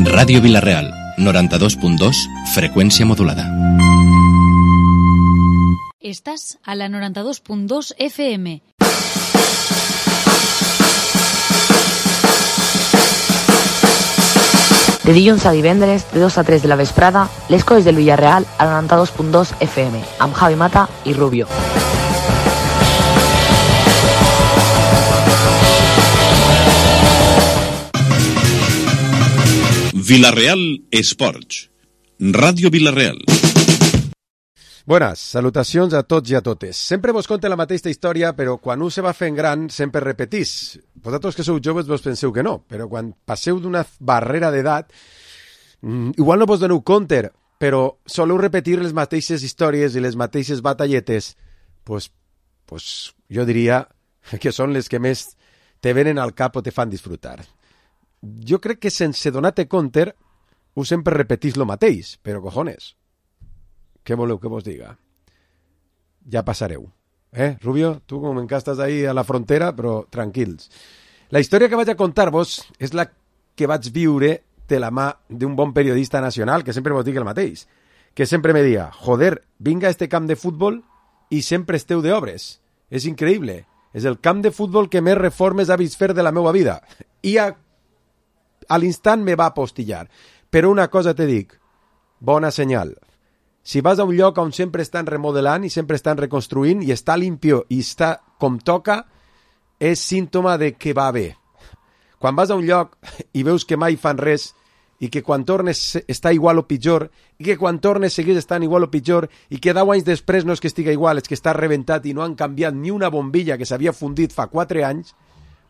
Ràdio Vila-real, 92.2, freqüència modulada. Estàs a la 92.2 FM. De dilluns a divendres, de 2 a 3 de la vesprada, les coses del Villarreal a la 92.2 FM, amb Javi Mata i Rubio. Vila-real Esports. Ràdio Vila-real. Buenas, salutacions a tots i a totes. Sempre vos conte la mateixa història, però quan un se va fent gran sempre repetís. Vosaltres que sou joves vos penseu que no, però quan passeu d'una barrera d'edat, igual no vos doneu compte, però soleu repetir les mateixes històries i les mateixes batalletes, pues jo diria que són les que més te venen al cap o te fan disfrutar. Jo crec que sense donar-te compte, ho sempre repetís lo mateix, però cojones, què voleu que vos diga? Ja passareu. Rubio, tu com encara estàs ahí a la frontera, però tranquils. La història que vaig a contar-vos és la que vaig viure de la mà d'un bon periodista nacional, que sempre vos dic el mateix, que sempre me dia, joder, vinga a este camp de futbol i sempre esteu d'obres. És increïble. És el camp de futbol que més reformes ha vist fer de la meva vida. I a l'instant me va apostillar. Però una cosa te dic, bona senyal. Si vas a un lloc on sempre estan remodelant i sempre estan reconstruint i està limpio i està com toca, és símptoma de que va bé. Quan vas a un lloc i veus que mai fan res i que quan tornes està igual o pitjor i que quan tornes segueix estant igual o pitjor i que 10 anys després no és que estiga igual, és que està rebentat i no han canviat ni una bombilla que s'havia fundit fa 4 anys,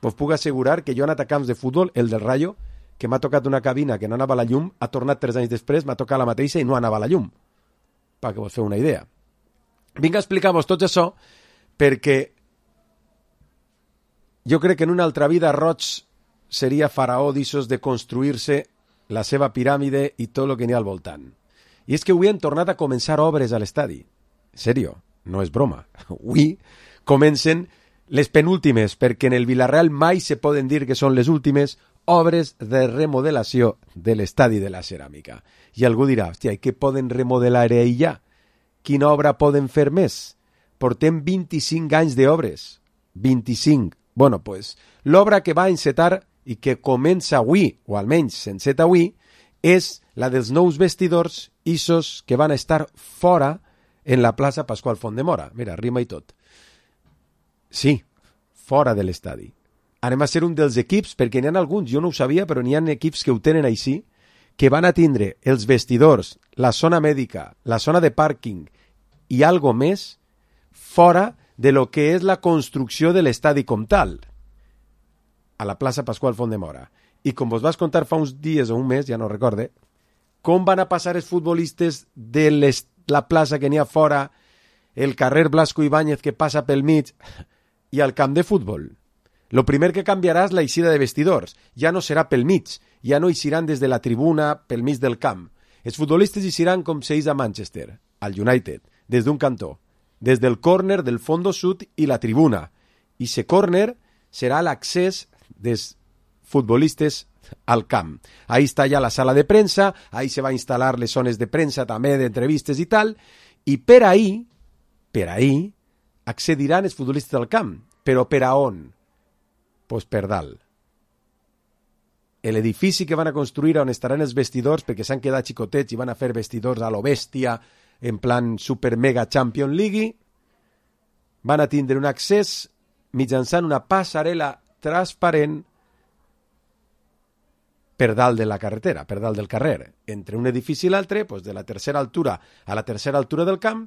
vos puc assegurar que jo he anat a camps de futbol, el del Rayo, que m'ha tocat una cabina que no anava a la llum, ha tornat 3 anys després, m'ha tocat la mateixa i no anava a la llum. Perquè vos feu una idea. Vinc a explicar-vos tot això perquè jo crec que en una altra vida Roig seria faraó d'issos de construir-se la seva piràmide i tot el que n'hi ha al voltant. I és que avui han tornat a començar obres a l'estadi. En sèrio, no és broma. Avui comencen les penúltimes, perquè en el Villarreal mai se poden dir que són les últimes obres de remodelació de l'estadi de la Ceràmica. I algú dirà, hòstia, i què poden remodelar ahir ja? Quina obra poden fer més? Portem 25 anys d'obres. 25. Bueno, pues, l'obra que va encetar i que comença avui, o almenys s'enceta avui, és la dels nous vestidors issos que van estar fora en la plaça Pasqual Font-de-Mora. Mira, rima i tot. Sí, fora de l'estadi. Anem a ser un dels equips, perquè n'hi ha alguns, jo no ho sabia, però n'hi ha equips que ho tenen així, que van a tindre els vestidors, la zona mèdica, la zona de pàrquing i algo més fora de lo que és la construcció de l'estadi com tal, a la plaça Pasqual Font-de-Mora. I com vos vas contar fa uns dies o un mes, ja no recorde, com van a passar els futbolistes de la plaça que n'hi ha fora, el carrer Blasco Ibáñez que passa pel mig, i al camp de futbol. Lo primer que canviarà és la eixida de vestidors. Ja no serà pel mig, ja no eixiran des de la tribuna pel mig del camp. Els futbolistes eixiran com s'eix a Manchester, al United, des d'un cantó, des del córner del fondo sud i la tribuna. I ese córner serà l'accés dels futbolistes al camp. Ahí està ja la sala de premsa, ahí se va instal·lar les zones de premsa també, d'entrevistes i tal, i per ahí accediran els futbolistes al camp. Però per a on? Pues per dalt. L'edifici que van a construir on estaran els vestidors, perquè s'han quedat xicotets i van a fer vestidors a lo bèstia, en plan super mega Champions League, van a tindre un accés mitjançant una passarel·la transparent per dalt de la carretera, per dalt del carrer. Entre un edifici i l'altre, pues de la tercera altura a la tercera altura del camp,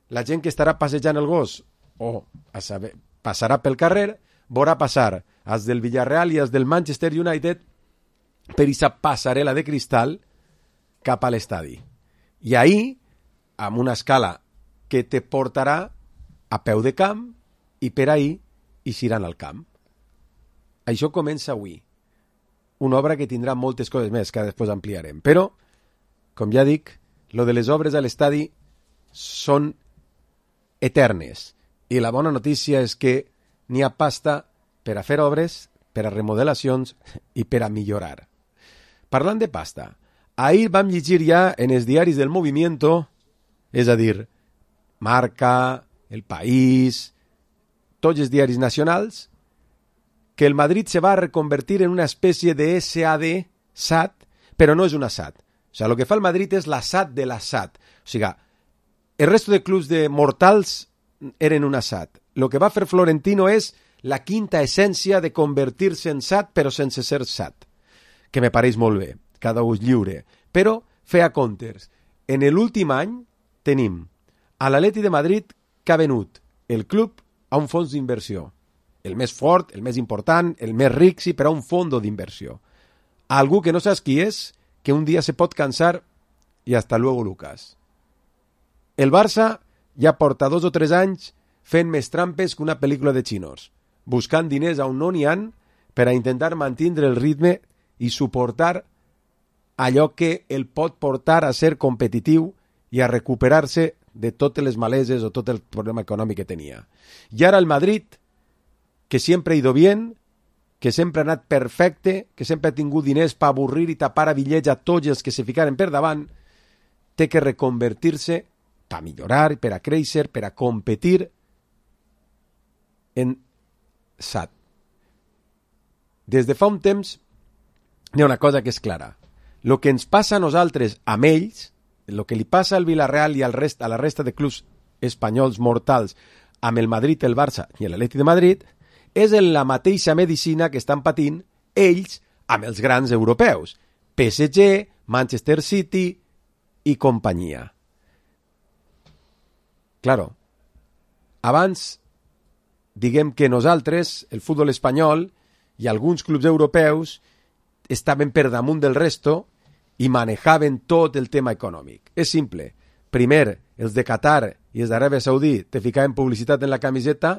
la gent que estarà passejant el gos o a saber, passarà pel carrer, veurà passar els del Villarreal i els del Manchester United per aquesta passarel·la de cristal cap a l'estadi. I ahir, amb una escala que te portarà a peu de camp i per ahir eixiran al camp. Això comença avui. Una obra que tindrà moltes coses més que després ampliarem. Però, com ja dic, lo de les obres a l'estadi són eternes. I la bona notícia és que n'hi ha pasta per a fer obres, per a remodelacions i per a millorar. parlant de pasta, ahir vam llegir ja en els diaris del Movimiento, és a dir, Marca, El País, tots els diaris nacionals, que el Madrid se va a reconvertir en una especie de SAD, però no és una SAD. O sigui, el que fa el Madrid és la SAD de la SAD. O sigui, el resto de clubs de mortals eren una SAD. Lo que va fer Florentino és la quinta essència de convertir-se en SAD, però sense ser SAD. Que me pareix molt bé, cada un és lliure. Però, feia comptes. En l'últim any tenim a l'Atleti de Madrid que ha venut el club a un fons d'inversió. El més fort, el més important, el més ric, sí, però a un fondo d'inversió. Algú que no saps qui és, que un dia se pot cansar i hasta luego, Lucas. El Barça ja porta 2 o 3 anys fent més trampes que una pel·lícula de xinos, buscant diners on no n'hi han per a intentar mantenir el ritme i suportar allò que el pot portar a ser competitiu i a recuperar-se de totes les maleses o tot el problema econòmic que tenia. I ara el Madrid, que sempre ha ido bien, que sempre ha anat perfecte, que sempre ha tingut diners per avorrir i tapar a bitllets a tots els que se ficaren per davant, té que reconvertir-se per millorar, per a créixer, per a competir en SAD. Des de fa un temps hi ha una cosa que és clara. El que ens passa a nosaltres amb ells, el que li passa al Villarreal i a la resta de clubs espanyols mortals amb el Madrid, el Barça i l'Atleti de Madrid, és en la mateixa medicina que estan patint ells amb els grans europeus. PSG, Manchester City i companyia. Claro, abans, diguem que nosaltres, el futbol espanyol i alguns clubs europeus estaven per damunt del resto i manejaven tot el tema econòmic. És simple. Primer, els de Qatar i els d'Aràbia Saudí te ficaven publicitat en la camiseta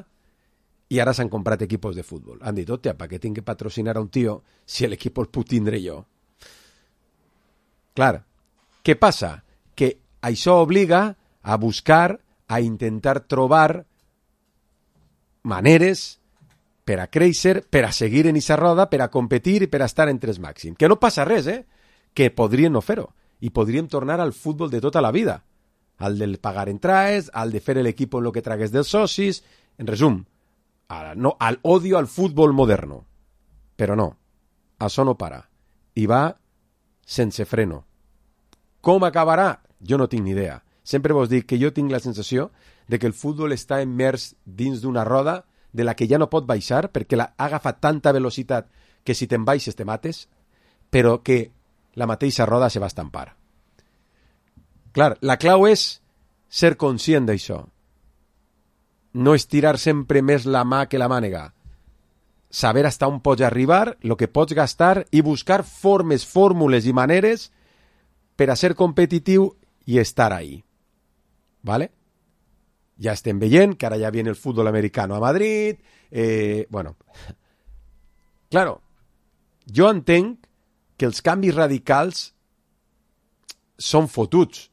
i ara s'han comprat equipos de futbol. Han dit, hòstia, per què tinc que patrocinar a un tio si l'equip el puc tindre jo? Clar, què passa? Que això obliga a buscar, a intentar trobar maneres per a créixer, per a seguir en aquesta roda, per a competir i per a estar entre els màxims. Que no passa res, que podrien no fer-ho. I podríem tornar al futbol de tota la vida. Al del pagar entrades, al de fer l'equip en el que tragués dels socis. En resum, al odio al futbol moderno. Però no, això no para. I va sense freno. Com acabarà? Jo no tinc ni idea. Sempre vos dic que jo tinc la sensació de que el futbol està immers dins d'una roda de la que ja no pot baixar perquè ha agafat tanta velocitat que si te'n baixes te mates, però que la mateixa roda se va estampar. Clar, la clau és ser conscient d'això. No estirar sempre més la mà que la mànega. Saber hasta on pots arribar, el que pots gastar i buscar formes, fórmules i maneres per a ser competitiu i estar ahí. ¿Vale? Ja estem veient que ara ja viene el futbol americano a Madrid. Bueno, claro, jo entenc que els canvis radicals són fotuts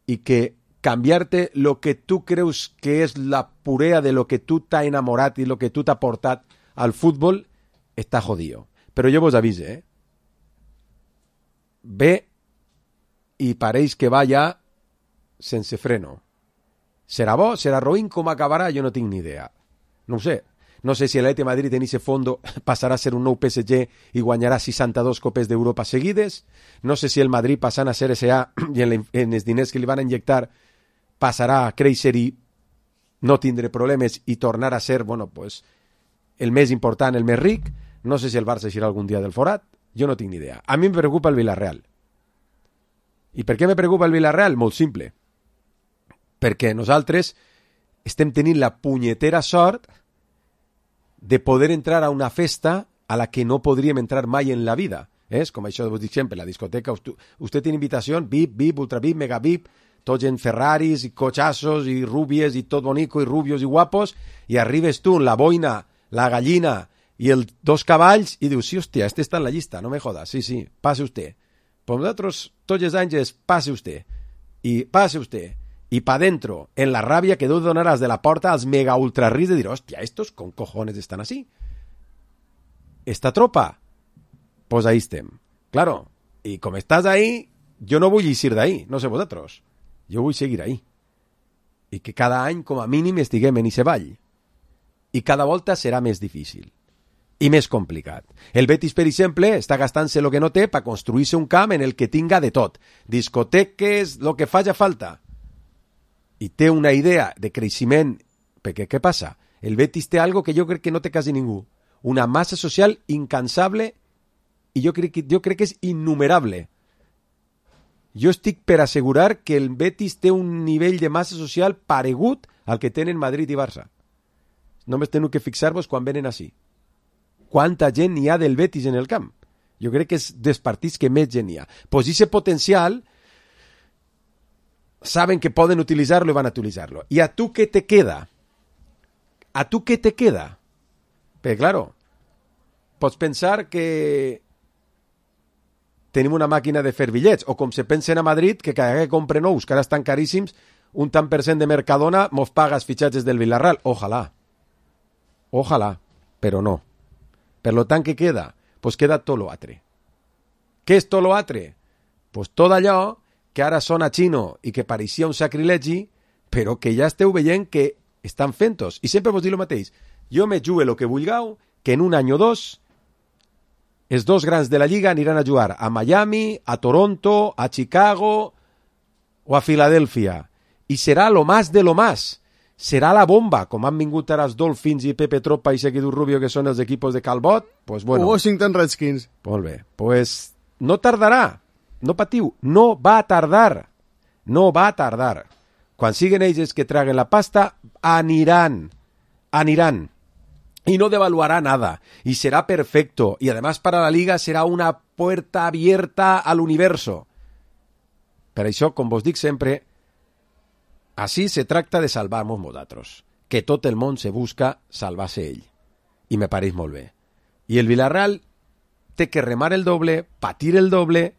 i que canviar-te lo que tu creus que és la purea de lo que tu t'ha enamorat i lo que tu t'ha portat al futbol està jodido. Però jo vos avise, Ve i pareix que va ja sense freno. Serà bo, serà roïn, com acabarà? Jo no tinc ni idea. No ho sé. No sé si l'Atleti de Madrid en ese fondo passarà a ser un nou PSG i guanyarà 62 copes d'Europa seguides. No sé si el Madrid passant a ser SA i en els diners que li van injectar passarà a créixer i no tindre problemes i tornar a ser, bueno, pues, el més important, el més ric. No sé si el Barça eixirà algun dia del forat. Jo no tinc ni idea. A mi em preocupa el Villarreal. I per què me preocupa el Villarreal? Molt simple. Perquè nosaltres estem tenint la punyetera sort de poder entrar a una festa a la que no podríem entrar mai en la vida. És com això vos dic sempre, la discoteca, usted tiene invitación, VIP, VIP, ultra VIP, mega VIP, tots en Ferraris i cochazos i rubies i tot bonico i rubios i guapos, i arribes tu en la boina, la gallina i els 2 cavalls i dius, sí, hòstia, este està en la llista, no me jodas, sí, pase usted. Pues nosaltres tots els anys és pase usted, i pa dentro, en la ràbia que deu donaràs de la porta als mega ultra rics de dir, hòstia, estos con cojones estan así. Esta tropa, pues ahí estem. Claro, I com estàs ahí, jo no vull eixir d'ahí, no sé vosaltres. Jo vull seguir ahí. I que cada any, com a mínim, estiguem en ese ball. I cada volta serà més difícil. I més complicat. El Betis, per exemple, està gastant-se el que no té per construir-se un camp en el que tinga de tot. Discoteques, lo que faci falta. I té una idea de creixement. Perquè què passa? El Betis té algo que jo crec que no té quasi ningú. Una massa social incansable i jo crec que és innumerable. Jo estic per assegurar que el Betis té un nivell de massa social paregut al que tenen Madrid i Barça. Només teniu que fixar-vos quan venen així. Quanta gent hi ha del Betis en el camp? Jo crec que és dels partits que més gent hi ha. Pues ese potencial saben que poden utilitzar-lo i van a utilitzar-lo. I a tu què te queda? A tu què te queda? Perquè, claro, pots pensar que tenim una màquina de fer bitllets, o com se pensen a Madrid, que cada que compre nous, que ara estan caríssims, un tant per cent de Mercadona mos paga els fitxatges del Villarreal. Ojalà. Ojalà, però no. Per lo tant, què queda? Pues queda tot lo altre. Què és tot lo altre? Pues tot allò que ara sona xino i que pareixia un sacrilegi, però que ja esteu veient que estan fent-os. I sempre vos dic el mateix. Jo me jugue el que vulgueu, que en un any o dos els dos grans de la Lliga aniran a jugar a Miami, a Toronto, a Chicago o a Filadèlfia. I serà lo más de lo más. Serà la bomba, com han vingut ara els Dolphins i Pepe Tropa i Seguidor Rubio, que són els equipos de Calbot. Pues bueno. Washington Redskins. Molt bé. Pues no tardarà. No patiu. No va tardar. No va tardar. Quan siguen ells que traguen la pasta, aniran. Aniran. Y no devaluará nada, y será perfecto, y además para la Liga será una puerta abierta al universo. Per això, com vos dic sempre, així se tracta de salvar-nos nosaltres, que tot el món se busca salvar-se ell, i me pareix molt bé. I el Villarreal té que remar el doble, patir el doble,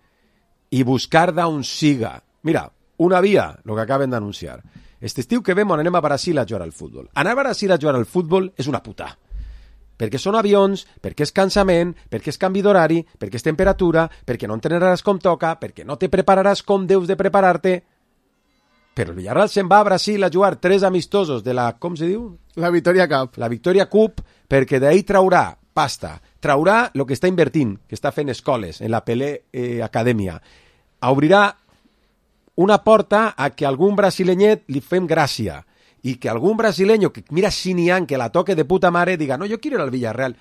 i buscar d'on siga. Mira, una via, el que acaben d'anunciar. Este estiu que vam anem a Brasil a jugar al futbol. Anar a Brasil a jugar al futbol és una puta. Perquè són avions, perquè és cansament, perquè és canvi d'horari, perquè és temperatura, perquè no entrenaràs com toca, perquè no te prepararàs com deus de preparar-te. Però el Villarreal se'n va a Brasil a jugar 3 amistosos de la... com se diu? La Victoria Cup. La Victoria Cup, perquè d'ahí traurà pasta, traurà el que està invertint, que està fent escoles en la Pelé Acadèmia. Obrirà una porta a que algun brasilenyet li fem gràcia, y que algún brasileño que mira Xinian, que la toque de puta mare, diga, no, yo quiero ir al Villarreal,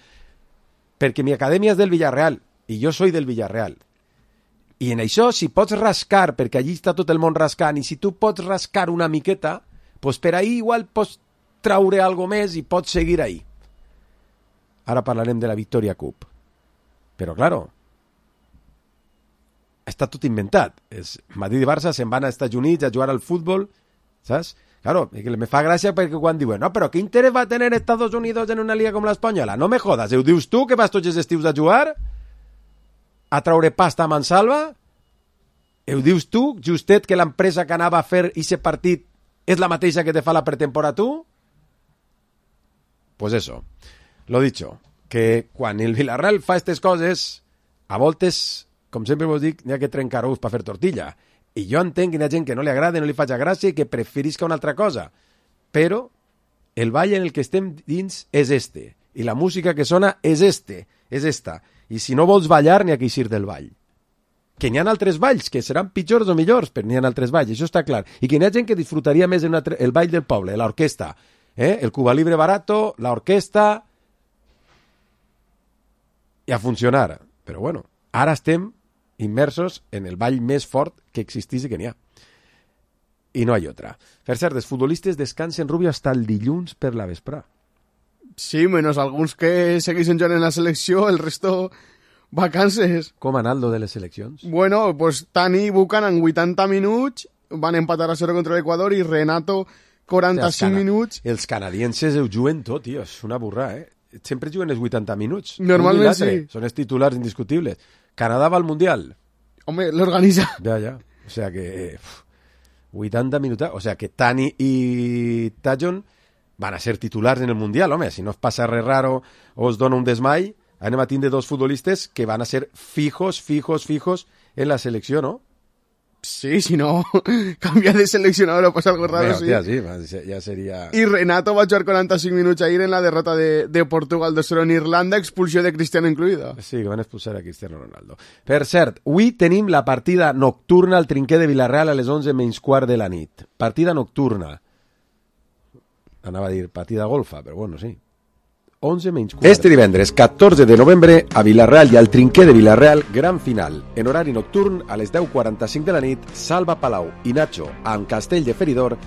porque mi academia es del Villarreal, y yo soy del Villarreal. I en això, si pots rascar, perquè allí està tot el món rascant, i si tu pots rascar una miqueta, pues per ahí igual pots traure algo més i pots seguir ahí. Ara parlarem de la Victoria Cup. Però, claro, està tot inventat. Madrid i Barça se'n van als Estats Units a jugar al futbol, saps? Claro, me fa gràcia perquè quan diuen no, però què interès va tenir Estados Unidos en una liga com l'espanyola? No me jodas, ho dius tu que vas tots els estius a jugar? A traure pasta a mansalva? Ho dius tu, justet, que l'empresa que anava a fer aquest partit és la mateixa que te fa la pretemporada tu? Pues eso, lo dicho, que quan el Villarreal fa aquestes coses, a voltes, com sempre vos dic, n'hi ha que trencar ous per fer tortilla. I jo entenc que hi ha gent que no li agrada, no li faig gràcia i que preferisca una altra cosa. Però el ball en el que estem dins és este. I la música que sona és esta. I si no vols ballar, n'hi ha que eixir del ball. Que n'hi ha altres balls, que seran pitjors o millors, però n'hi ha altres balls, això està clar. I que n'hi ha gent que disfrutaria més el ball del poble, l'orquestra. El Cuba Libre barato, l'orquestra... I a funcionar. Però bueno, ara estem immersos en el ball més fort que existís i que n'hi ha. I no hi ha altra. Per cert, els futbolistes descansen, Rubio, hasta el dilluns per la vesprà. Sí, menos alguns que segueixen jugant en la selecció, el resto vacances. Com ha anat lo de les seleccions? Bueno, pues Tani i Buchanan 80 minuts, van empatar a 0 contra l'Equador i Renato 45 minuts. Els canadienses ho juguen tot, tio, és una burra, Sempre juguen els 80 minuts. Normalment sí. Són els titulars indiscutibles. Canadà va al Mundial. Home, l'organitza. Ja. O sea que... 80 minuts. O sea que Tani i Tajon van a ser titulars en el Mundial, home. Si no es passa res raro o es dona un desmai, anem a tindre dos futbolistes que van a ser fijos en la selecció, no? Sí, si no, canvia de seleccionador o passa algo raro, Bé, sí. hòstia, sí, ja seria... I Renato va jugar 45 minuts ahir en la derrota de Portugal 2-0 en Irlanda, expulsió de Cristiano incluïda. Sí, que van expulsar a Cristiano Ronaldo. Per cert, avui tenim la partida nocturna al Trinquer de Vilareal a les 11:15 de la nit. Partida nocturna. Anava a dir partida golfa, però bueno, sí. 11:15. Este divendres, 14 de novembre, a Vilareal i al Trinquer de Vilareal, gran final. En horari nocturn, a les 10:45 de la nit, Salva Palau i Nacho, amb Castell de Feridor,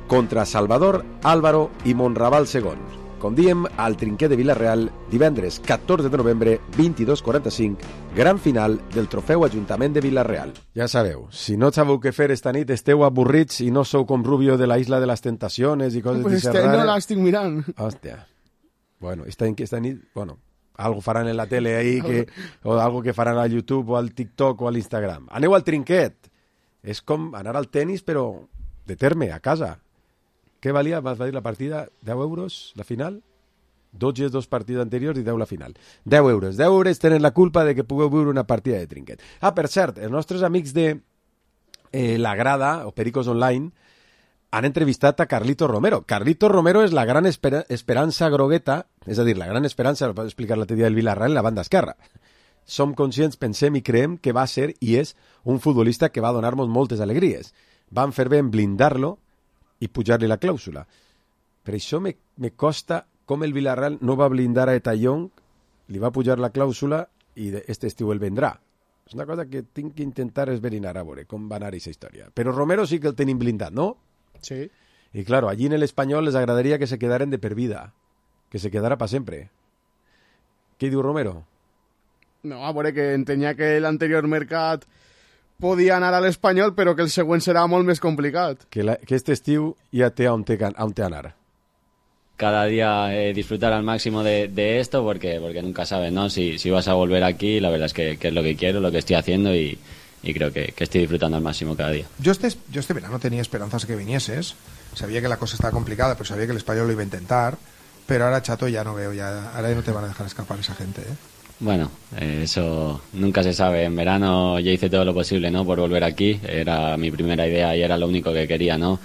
contra Salvador, Álvaro i Monraval II. Com diem, al Trinquer de Vilareal, divendres 14 de novembre, 22:45, gran final del trofeu Ajuntament de Vilareal. Ja sabeu, si no sabeu què fer esta nit, esteu avorrits i no sou com Rubio de la Isla de las Tentaciones i coses Pues este no l'estic mirant. Hòstia. Bueno, esta nit, bueno, algo faran en la tele ahí, o algo que faran al YouTube o al TikTok o al Instagram. Aneu al trinquet. És com anar al tenis, però de terme, a casa. Què valia? Vas dir la partida? 10 euros, la final? 12 dos partits anteriors i 10 la final. 10 euros. 10 euros tenen la culpa de que pugueu viure una partida de trinquet. Ah, per cert, els nostres amics de La Grada, o Pericos Online, han entrevistat a Carlito Romero. Carlito Romero és la gran esperança grogueta, és a dir, la gran esperança, ho vaig explicar l'altre dia del Villarreal, en la banda esquerra. Som conscients, pensem i creem que va ser i és un futbolista que va donar-nos moltes alegries. Van fer bé en blindar-lo i pujar-li la clàusula. Per això me costa com el Villarreal no va blindar a Etayong, li va pujar la clàusula i este estiu el vendrà. És una cosa que tinc que intentar esverinar a veure com va anar aquesta història. Però Romero sí que el tenim blindat, no? Sí. Y claro, allí en el Español les agradaría que se quedaran de per vida, que se quedara para siempre. ¿Qué diu Romero? No, a veure, que entenia que l'anterior mercat podia anar a l'Espanyol, però que el següent serà molt més complicat. Que este estiu ja té on té anar. Cada día disfrutar al máximo de esto porque nunca sabes, ¿no? Si vas a volver aquí, la verdad es que es lo que quiero, lo que estoy haciendo y creo que estoy disfrutando al máximo cada día. Yo este verano tenía esperanzas que vinieses, sabía que la cosa estaba complicada, pero sabía que el Español lo iba a intentar, pero ahora, chato, ya no veo, ahora no te van a dejar escapar esa gente, ¿eh? Bueno, eso nunca se sabe. En verano ya hice todo lo posible, ¿no? Por volver aquí, era mi primera idea y era lo único que quería, ¿no?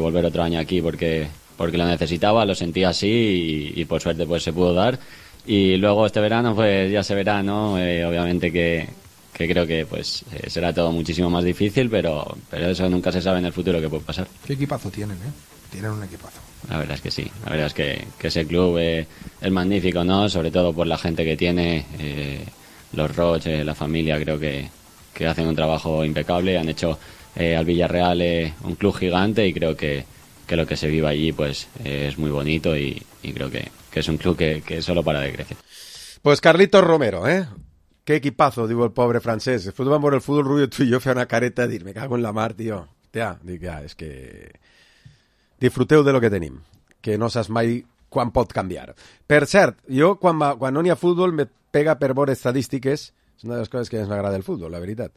Volver otro año aquí porque lo necesitaba, lo sentía así y por suerte pues se pudo dar. Y luego este verano pues ya se verá, ¿no? Obviamente que creo que pues será todo muchísimo más difícil, pero eso nunca se sabe en el futuro qué puede pasar. ¿Qué equipazo tienen, eh? Tienen un equipazo. La verdad es que sí, la verdad es que ese club es magnífico, ¿no? Sobre todo por la gente que tiene, los Roig, la familia, creo que hacen un trabajo impecable, han hecho al Villarreal un club gigante y creo que lo que se vive allí pues es muy bonito y creo que es un club que solo para de crecer. Pues Carlitos Romero, ¿eh? Qué equipazo, digo el pobre francés. Después van por el fútbol, Rubio, tú y yo fue una careta de dir, me cago en la mar, tío. Hòstia, dic, ja, és que... Disfruteu de lo que tenim, que no saps mai quan pot canviar. Per cert, jo quan no n'hi ha futbol me pega per veure estadístiques, és una de les coses que ens m'agrada el futbol, la veritat.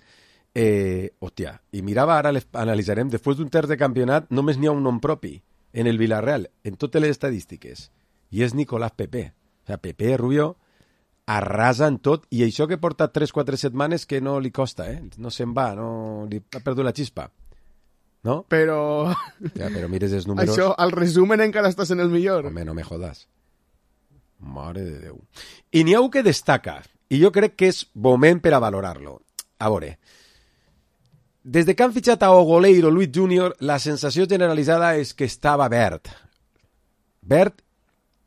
Hòstia, i mirava, ara analitzarem, després d'un terç de campionat només n'hi ha un nom propi en el Villarreal, en totes les estadístiques, i és Nicolás Pepe. O sea, Pepe, Rubio, arrasen tot, i això que porta 3-4 setmanes que no li costa, no se'n va, no li ha perdut la xispa. ¿No? Pero... Ja, però mires els números... Això, al resumen encara estàs en el millor. Home, no me jodas. Mare de Déu. I n'hi ha un que destaca, i jo crec que és moment per a valorar-lo. A veure, des de que han fitxat a Ogoleiro Luis Junior, la sensació generalitzada és que estava verd. Verd,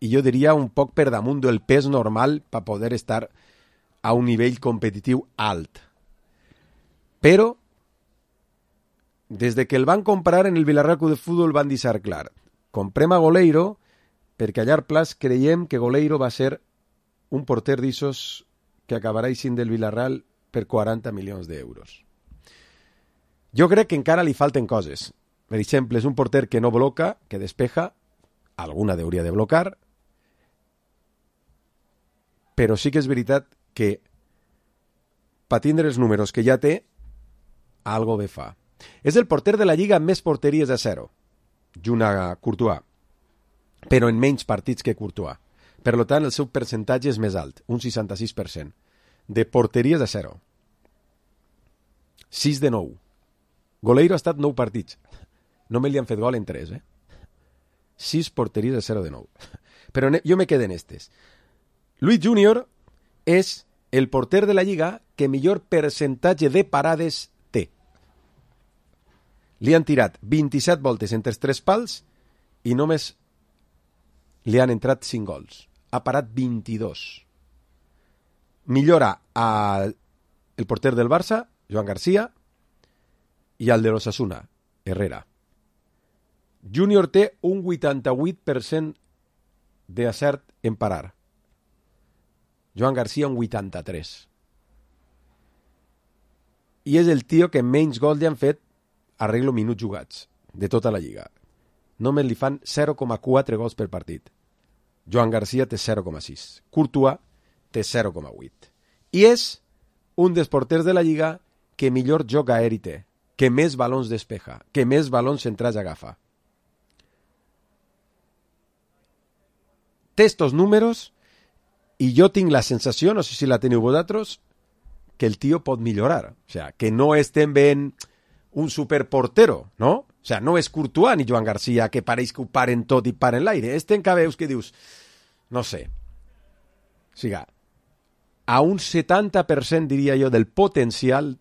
i jo diria un poc per damunt del pes normal per poder estar a un nivell competitiu alt. Però des de que el van comprar en el Villarreal Club de Fútbol van deixar clar. Comprem a Goleiro perquè a llarg plaç creiem que Goleiro va ser un porter d'issos que acabarà eixint del Villarreal per 40 milions d'euros. Jo crec que encara li falten coses. Per exemple, és un porter que no bloca, que despeja, alguna hauria de blocar, però sí que és veritat que per tindre els números que ja té, algo bé fa. És el porter de la Lliga amb més porteries a zero, junt a Courtois, però en menys partits que Courtois. Per tant, el seu percentatge és més alt, un 66%, de porteries a zero. 6 de 9. Goleiro ha estat 9 partits. Només li han fet gol en 3, 6 porteries de 0 de 9. Però jo me quedo en estes. Luis Junior és el porter de la Lliga que millor percentatge de parades té. Li han tirat 27 voltes entre els 3 pals i només li han entrat 5 gols. Ha parat 22. Millora el porter del Barça, Joan Garcia, i el de l'Osasuna, Herrera. Junior té un 88% d'acert en parar. Joan Garcia un 83%. I és el tio que menys gols li han fet arreglo minuts jugats de tota la Lliga. Només li fan 0,4 gols per partit. Joan Garcia té 0,6. Courtois té 0,8. I és un dels porters de la Lliga que millor joc aeri té, que més balons despeja, que més balons centrats agafa. Té estos números i jo tinc la sensació, no sé si la teniu vosaltres, que el tio pot millorar. O sea, que no estem veient un superportero, ¿no? O sea, no és Courtois ni Joan Garcia, que pareix que ho paren tot i paren l'aire. Este encara veus que dius, no sé. O sigui, a un 70% diria jo del potencial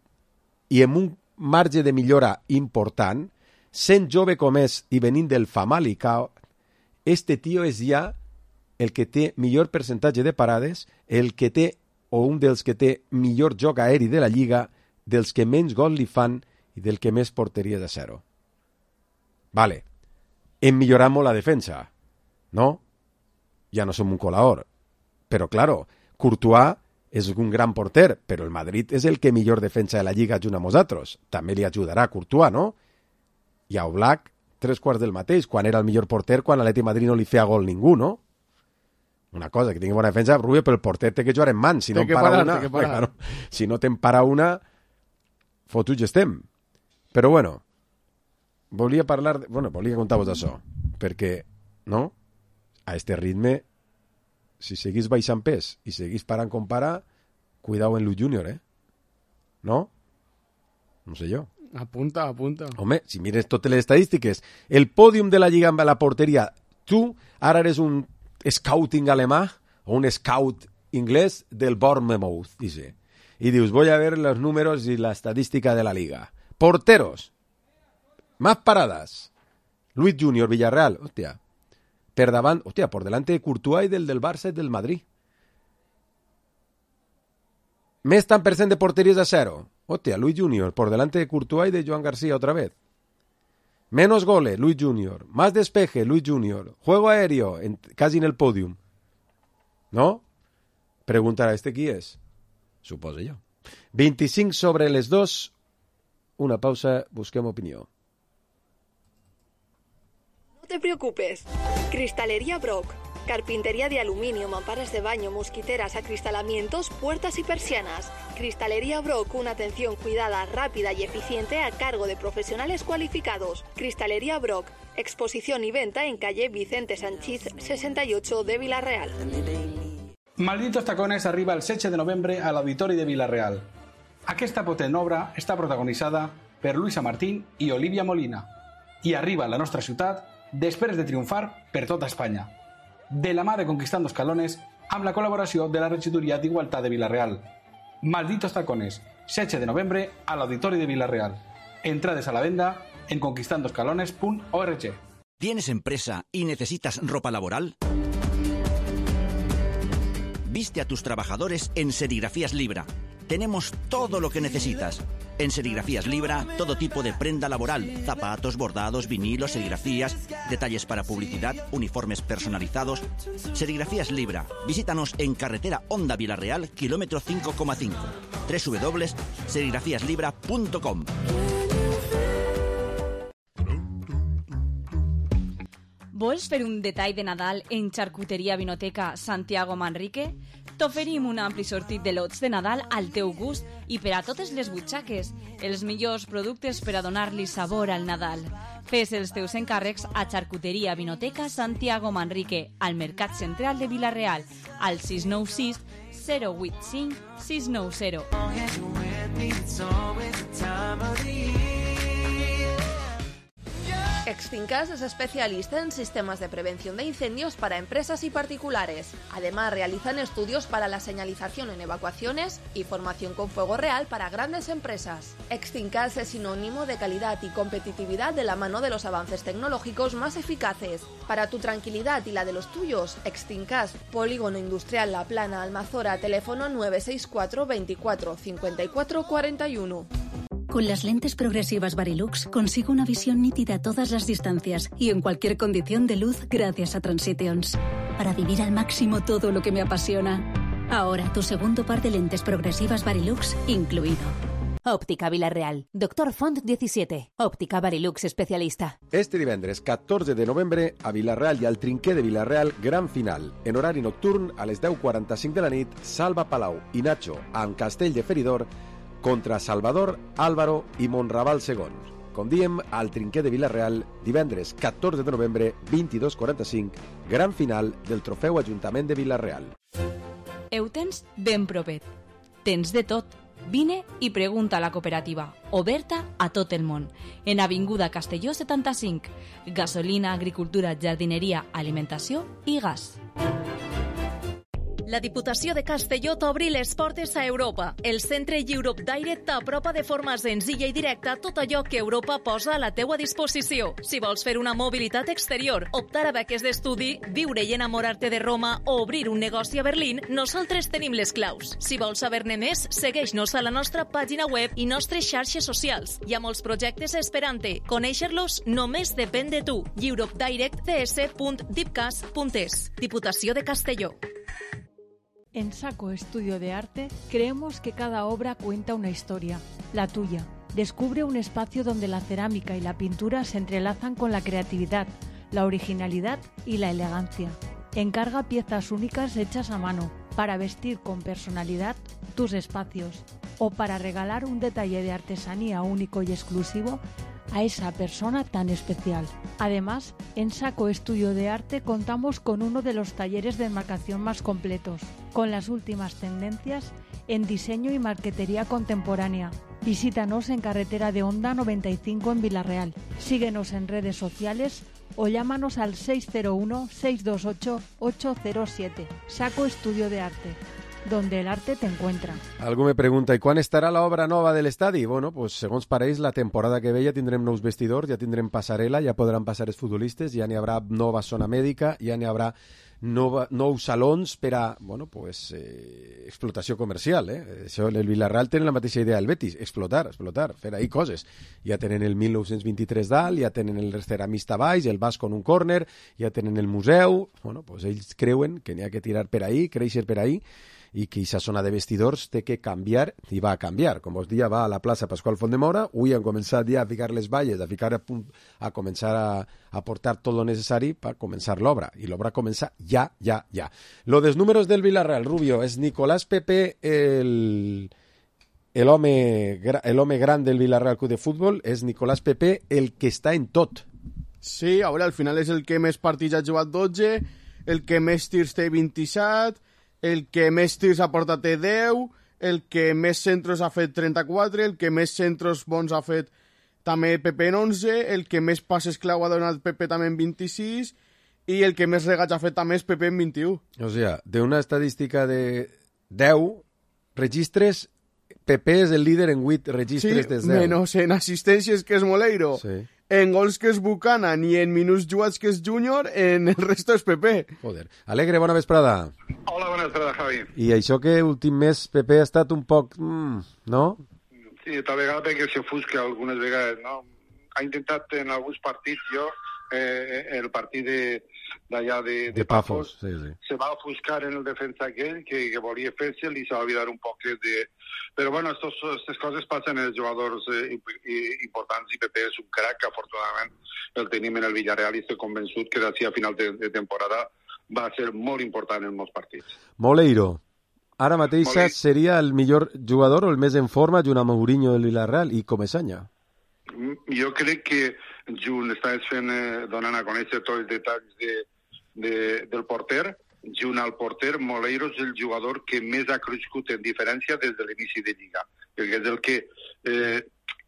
i amb un marge de millora important, sent jove com és i venint del Famalicão, este tio és ja el que té millor percentatge de parades, el que té, o un dels que té millor joc aeri de la Lliga, dels que menys gol li fan i del que més porteria de 0. Vale, hem millorat molt la defensa, no? Ja no som un colador. Però, claro, Courtois és un gran porter, però el Madrid és el que millor defensa de la Lliga junt amb nosaltres. També li ajudarà Courtois, no? I a Oblak, 3/4 del mateix, quan era el millor porter, quan l'Atleti de Madrid no li feia gol ningú, no? Una cosa, que tingui bona defensa, Rubio, però el porter té que jugar en mans. Si no si no t'empara una, fotuts estem. Però bueno, volia contar-vos això, perquè, no? A este ritme, si seguís baixant pes i seguís parant com para, cuidao en Luis Junior, ¿no? No sé jo. Apunta. Home, si mires totes les estadístiques, el pòdium de la Lliga amb la porteria, tu ara eres un scouting alemà o un scout inglés del Bournemouth, dice. Y dius, voy a ver los números y la estadística de la Liga. Porteros. Más paradas. Luis Junior, Villarreal. Hostia. Por delante de Courtois y del Barça y del Madrid. Més tan % de porterías a 0. Hostia, Luis Junior, por delante de Courtois y de Joan Garcia otra vez. Menos goles, Luis Junior. Más despeje, Luis Junior. Juego aéreo, casi en el podium. ¿No? Preguntarà, ¿este qui és? Suposo jo. 25 sobre les 2. Una pausa, busquem opinió. No te preocupes. Cristalería Brock. Carpintería de aluminio, mamparas de baño, mosquiteras, acristalamientos, puertas y persianas. Cristalería Brock, una atención cuidada, rápida y eficiente a cargo de profesionales cualificados. Cristalería Brock, exposición y venta en calle Vicente Sanchís 68 de Vila-real. Malditos tacones arriba el 7 de novembre a l'Auditori de Vila-real. Aquesta potent obra està protagonitzada per Luisa Martín i Olivia Molina i arriba a la nostra ciutat després de triomfar per tota Espanya. De la mà de Conquistando Escalones, amb la col·laboració de la Regidoria d'Igualtat de Vila-real. Malditos tacones, 7 de novembre a l'Auditori de Vila-real. Entrades a la venda en conquistandoscalones.org. ¿Tienes empresa y necesitas ropa laboral? Viste a tus trabajadores en Serigrafías Libra. Tenemos todo lo que necesitas. En Serigrafías Libra, todo tipo de prenda laboral, zapatos, bordados, vinilos, serigrafías, detalles para publicidad, uniformes personalizados. Serigrafías Libra. Visítanos en carretera Honda Vila-real, kilómetro 5,5. www.serigrafiaslibra.com. Vols fer un detall de Nadal en Charcuteria Vinoteca Santiago Manrique? T'oferim un ampli sortit de lots de Nadal al teu gust i per a totes les butxaques. Els millors productes per a donar-li sabor al Nadal. Fes els teus encàrrecs a Xarcuteria Vinoteca Santiago Manrique, al Mercat Central de Vila-real, al 696 085 690. Extincas es especialista en sistemas de prevención de incendios para empresas y particulares. Además, realizan estudios para la señalización en evacuaciones y formación con fuego real para grandes empresas. Extincas es sinónimo de calidad y competitividad de la mano de los avances tecnológicos más eficaces. Para tu tranquilidad y la de los tuyos, Extincas, Polígono Industrial La Plana, Almazora, teléfono 964 24 54 41. Con las lentes progresivas Varilux consigo una visión nítida a todas las distancias y en cualquier condición de luz gracias a Transitions. Para vivir al máximo todo lo que me apasiona. Ahora tu segundo par de lentes progresivas Varilux incluido. Òptica Vila-real. Doctor Font 17. Òptica Varilux especialista. Este divendres 14 de novembre a Vila-real i al Trinquer de Vila-real, gran final. En horari nocturn, a les 10:45 de la nit, Salva Palau i Nacho, en Castell de Feridor, contra Salvador, Álvaro i Monraval II. Com diem, al Trinquer de Vila-real, divendres 14 de novembre, 22:45, gran final del Trofeu Ajuntament de Vila-real. Ho tens ben propet. Tens de tot. Vine i pregunta a la cooperativa, oberta a tot el món. En Avinguda Castelló 75. Gasolina, agricultura, jardineria, alimentació i gas. La Diputació de Castelló t'obri les portes a Europa. El centre Europe Direct t'apropa de forma senzilla i directa tot allò que Europa posa a la teua disposició. Si vols fer una mobilitat exterior, optar a beques d'estudi, viure i enamorar-te de Roma o obrir un negoci a Berlín, nosaltres tenim les claus. Si vols saber-ne més, segueix-nos a la nostra pàgina web i nostres xarxes socials. Hi ha molts projectes esperant-te. Conèixer-los només depèn de tu. europedirectds.dipcas.es. Diputació de Castelló. En Saco Estudio de Arte creemos que cada obra cuenta una historia, la tuya. Descubre un espacio donde la cerámica y la pintura se entrelazan con la creatividad, la originalidad y la elegancia. Encarga piezas únicas hechas a mano para vestir con personalidad tus espacios o para regalar un detalle de artesanía único y exclusivo a esa persona tan especial. Además, en Saco Estudio de Arte contamos con uno de los talleres de enmarcación más completos, con las últimas tendencias en diseño y marquetería contemporánea. Visítanos en Carretera de Honda 95 en Vila-real. Síguenos en redes sociales o llámanos al 601-628-807. Saco Estudio de Arte, donde el arte te encuentra. Algú me pregunta, i quan estarà l'obra nova de l'estadi? Bueno, pues, segons pareix, la temporada que ve ja tindrem nous vestidors, ja tindrem passarel·la, ja podran passar els futbolistes, ja n'hi haurà nova zona mèdica, ja n'hi haurà nous salons per a, bueno, pues, explotació comercial, Això, el Vila-real tenen la mateixa idea del Betis, explotar, fer ahí coses. Ja tenen el 1923 dalt, ja tenen el ceramista baix, el basc con un córner, ja tenen el museu, bueno, pues ells creuen que n'hi ha que tirar per ahí, créixer per ahí, i que aquesta zona de vestidors té que canviar, i va a canviar. Com us dia, va a la plaça Pasqual Fontdemora, avui han començat ja a ficar les valles, a començar a portar tot lo necessari per començar l'obra, i l'obra comença ja. Lo dels números del Vila-real, Rubio, és Nicolás Pepe l'home gran del Vila-real Club de Futbol, és Nicolás Pepe el que està en tot. Sí, ara al final és el que més partits ha jugat 12, el que més tirs té 27, el que més tirs ha portat té 10, el que més centros ha fet 34, el que més centros bons ha fet també Pepe en 11, el que més passes clau ha donat Pepe també en 26 i el que més regats ha fet també és Pepe en 21. O sea, de una estadística de 10 registres, Pepe és el líder en 8 registres de 10. Sí, menos en assistències, que és Moleiro. Sí. En gols, que és Buchanan, i en minuts jugats, que és Júnior, en el resto és Pepe. Joder. Alegre, bona vesprada. Hola, bona vesprada, Javi. I això que últim mes Pepe ha estat un poc... no? Sí, tal vegada perquè s'ofusca algunes vegades, no? Ha intentat en alguns partits, el partit d'allà de Pafos, sí. Se va ofuscar en el defensa aquell que volia fer-se'l i se va oblidar un poc de... Però bueno, aquestes coses passen en els jugadors importants, i Pepe és un crac, que afortunadament el tenim en el Villarreal i estic convençut que d'ací a final de temporada va ser molt important en molts partits. Moleiro. ara mateix seria el millor jugador o el més en forma junt amb Mourinho del Villarreal i Comesaña? Jo crec que junt estàs donant a conèixer tots els detalls del porter. Junt al porter, Moleiro és el jugador que més ha crescut en diferència des de l'inici de Lliga, perquè és el que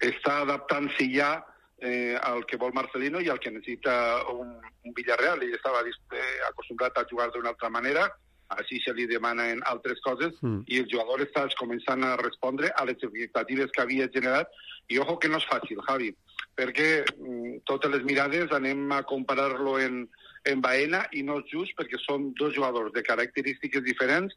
està adaptant-se ja al que vol Marcelino i al que necessita un Villarreal. Ell estava acostumbrat a jugar d'una altra manera, així se li demanen altres coses i el jugador està començant a respondre a les expectatives que havia generat. I ojo que no és fàcil, Javi, perquè totes les mirades anem a comparar-lo en Baena i no és just perquè són dos jugadors de característiques diferents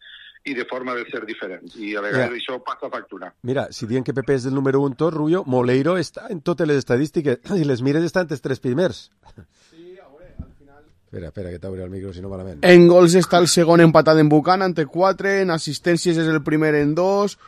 i de forma de ser diferents. I a vegades això passa factura. Mira, si diuen que Pepe és el número 1 tot, Rubio, Moleiro està en totes les estadístiques i les mires estan entre els 3 primers. Sí, a veure, al final... Espera, que t'obri el micro, si no malament. En gols està el segon empatat en Buchanan, té 4, en assistències és el primer en 2,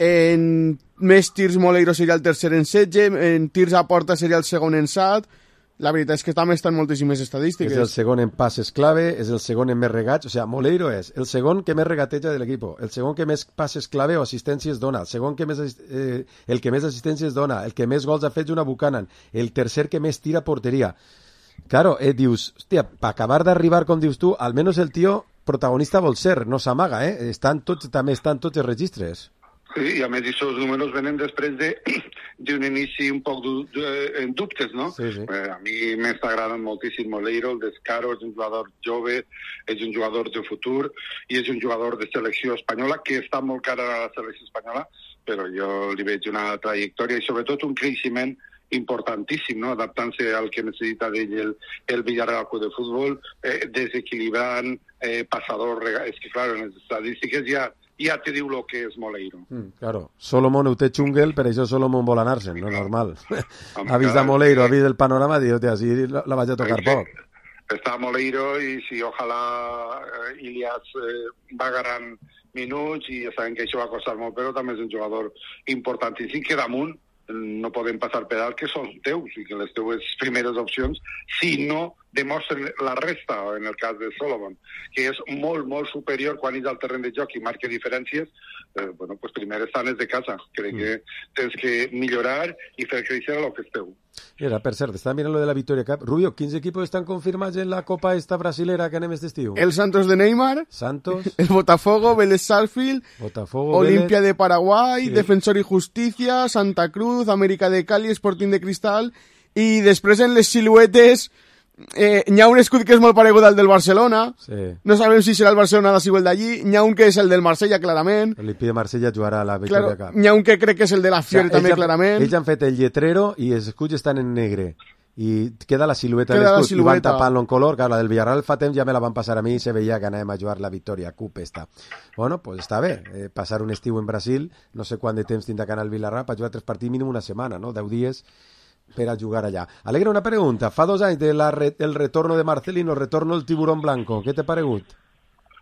en més tirs Moleiro seria el tercer en 16, en tirs a porta seria el segon en 7. La veritat és que també estan moltíssimes estadístiques. És el segon en passes clave, és el segon en més regats, o sigui, Moleiro és el segon que més regateja de l'equip, el segon que més passes clave o assistències dona, el segon que més el que més assistències dona, el que més gols ha fet una Buchanan, el tercer que més tira a porteria. Claro, dius, hòstia, per acabar d'arribar, com dius tu, almenys el tio protagonista vol ser, no s'amaga, també estan tots els registres. Sí, i a més aquests números venen després d'un inici un poc en dubtes, no? Sí. A mi m'està agradant moltíssim Moleiro, el Descaro, és un jugador jove, és un jugador de futur i és un jugador de selecció espanyola que està molt cara a la selecció espanyola, però jo li veig una trajectòria i sobretot un creixement importantíssim, no? Adaptant-se al que necessita d'ell el Villarreal Club de Futbol, desequilibrant, passador, és que clar, en les estadístiques ja te diu el que és Moleiro. Claro, Solomon ho té xungle, per això Solomon vol anar-se'n, no normal. Ha vist a Moleiro, ha vist el panorama, diu, així la vaig a tocar poc. Està Moleiro i si ojalà Ilias va agarrant minuts i ja sabem que això va costar molt, però també és un jugador importantíssim que damunt no podem passar per alt que són teus i que les teues primeres opcions, si no demostren la resta, en el cas de Solomon, que és molt, molt superior quan és al terreny de joc i marca diferències, bueno, pues primer estan de casa. Crec que tens que millorar i fer créixer el que és teu. Mira, per cert, estava mirant lo de la Victoria Cup. Rubio, quins equipos estan confirmats en la Copa esta brasilera que anem este estiu? El Santos de Neymar, el Botafogo, Vélez Sarsfield, Olimpia de Paraguay, Defensor y Justicia, Santa Cruz, América de Cali, Sporting de Cristal, i després en les siluetes n'hi ha un escut que és molt paregut al del Barcelona, no sabem si serà el Barcelona de Sibuel d'allí, n'hi ha un que és el del Marsella, clarament. L'Olimpia de Marsella jugarà a la Victoria Cup. N'hi ha un que crec que és el de la Fiore, també, clarament. Ells han fet el lletrero i els escuts estan en negre. I queda la silueta de l'escut i van tapant-lo en color. Clar, la del Villarreal fa temps ja me la van passar a mi i se veia que anàvem a jugar la Victoria Cup esta. Bueno, pues està bé. Passar un estiu en Brasil, no sé quant de temps tindrà que anar al Villarreal per jugar 3 partits, mínim una setmana, no? 10 dies per a jugar allà. Alegre, una pregunta. Fa 2 anys del retorno de Marcelino, el retorno del Tiburón Blanco. Què t'ha paregut?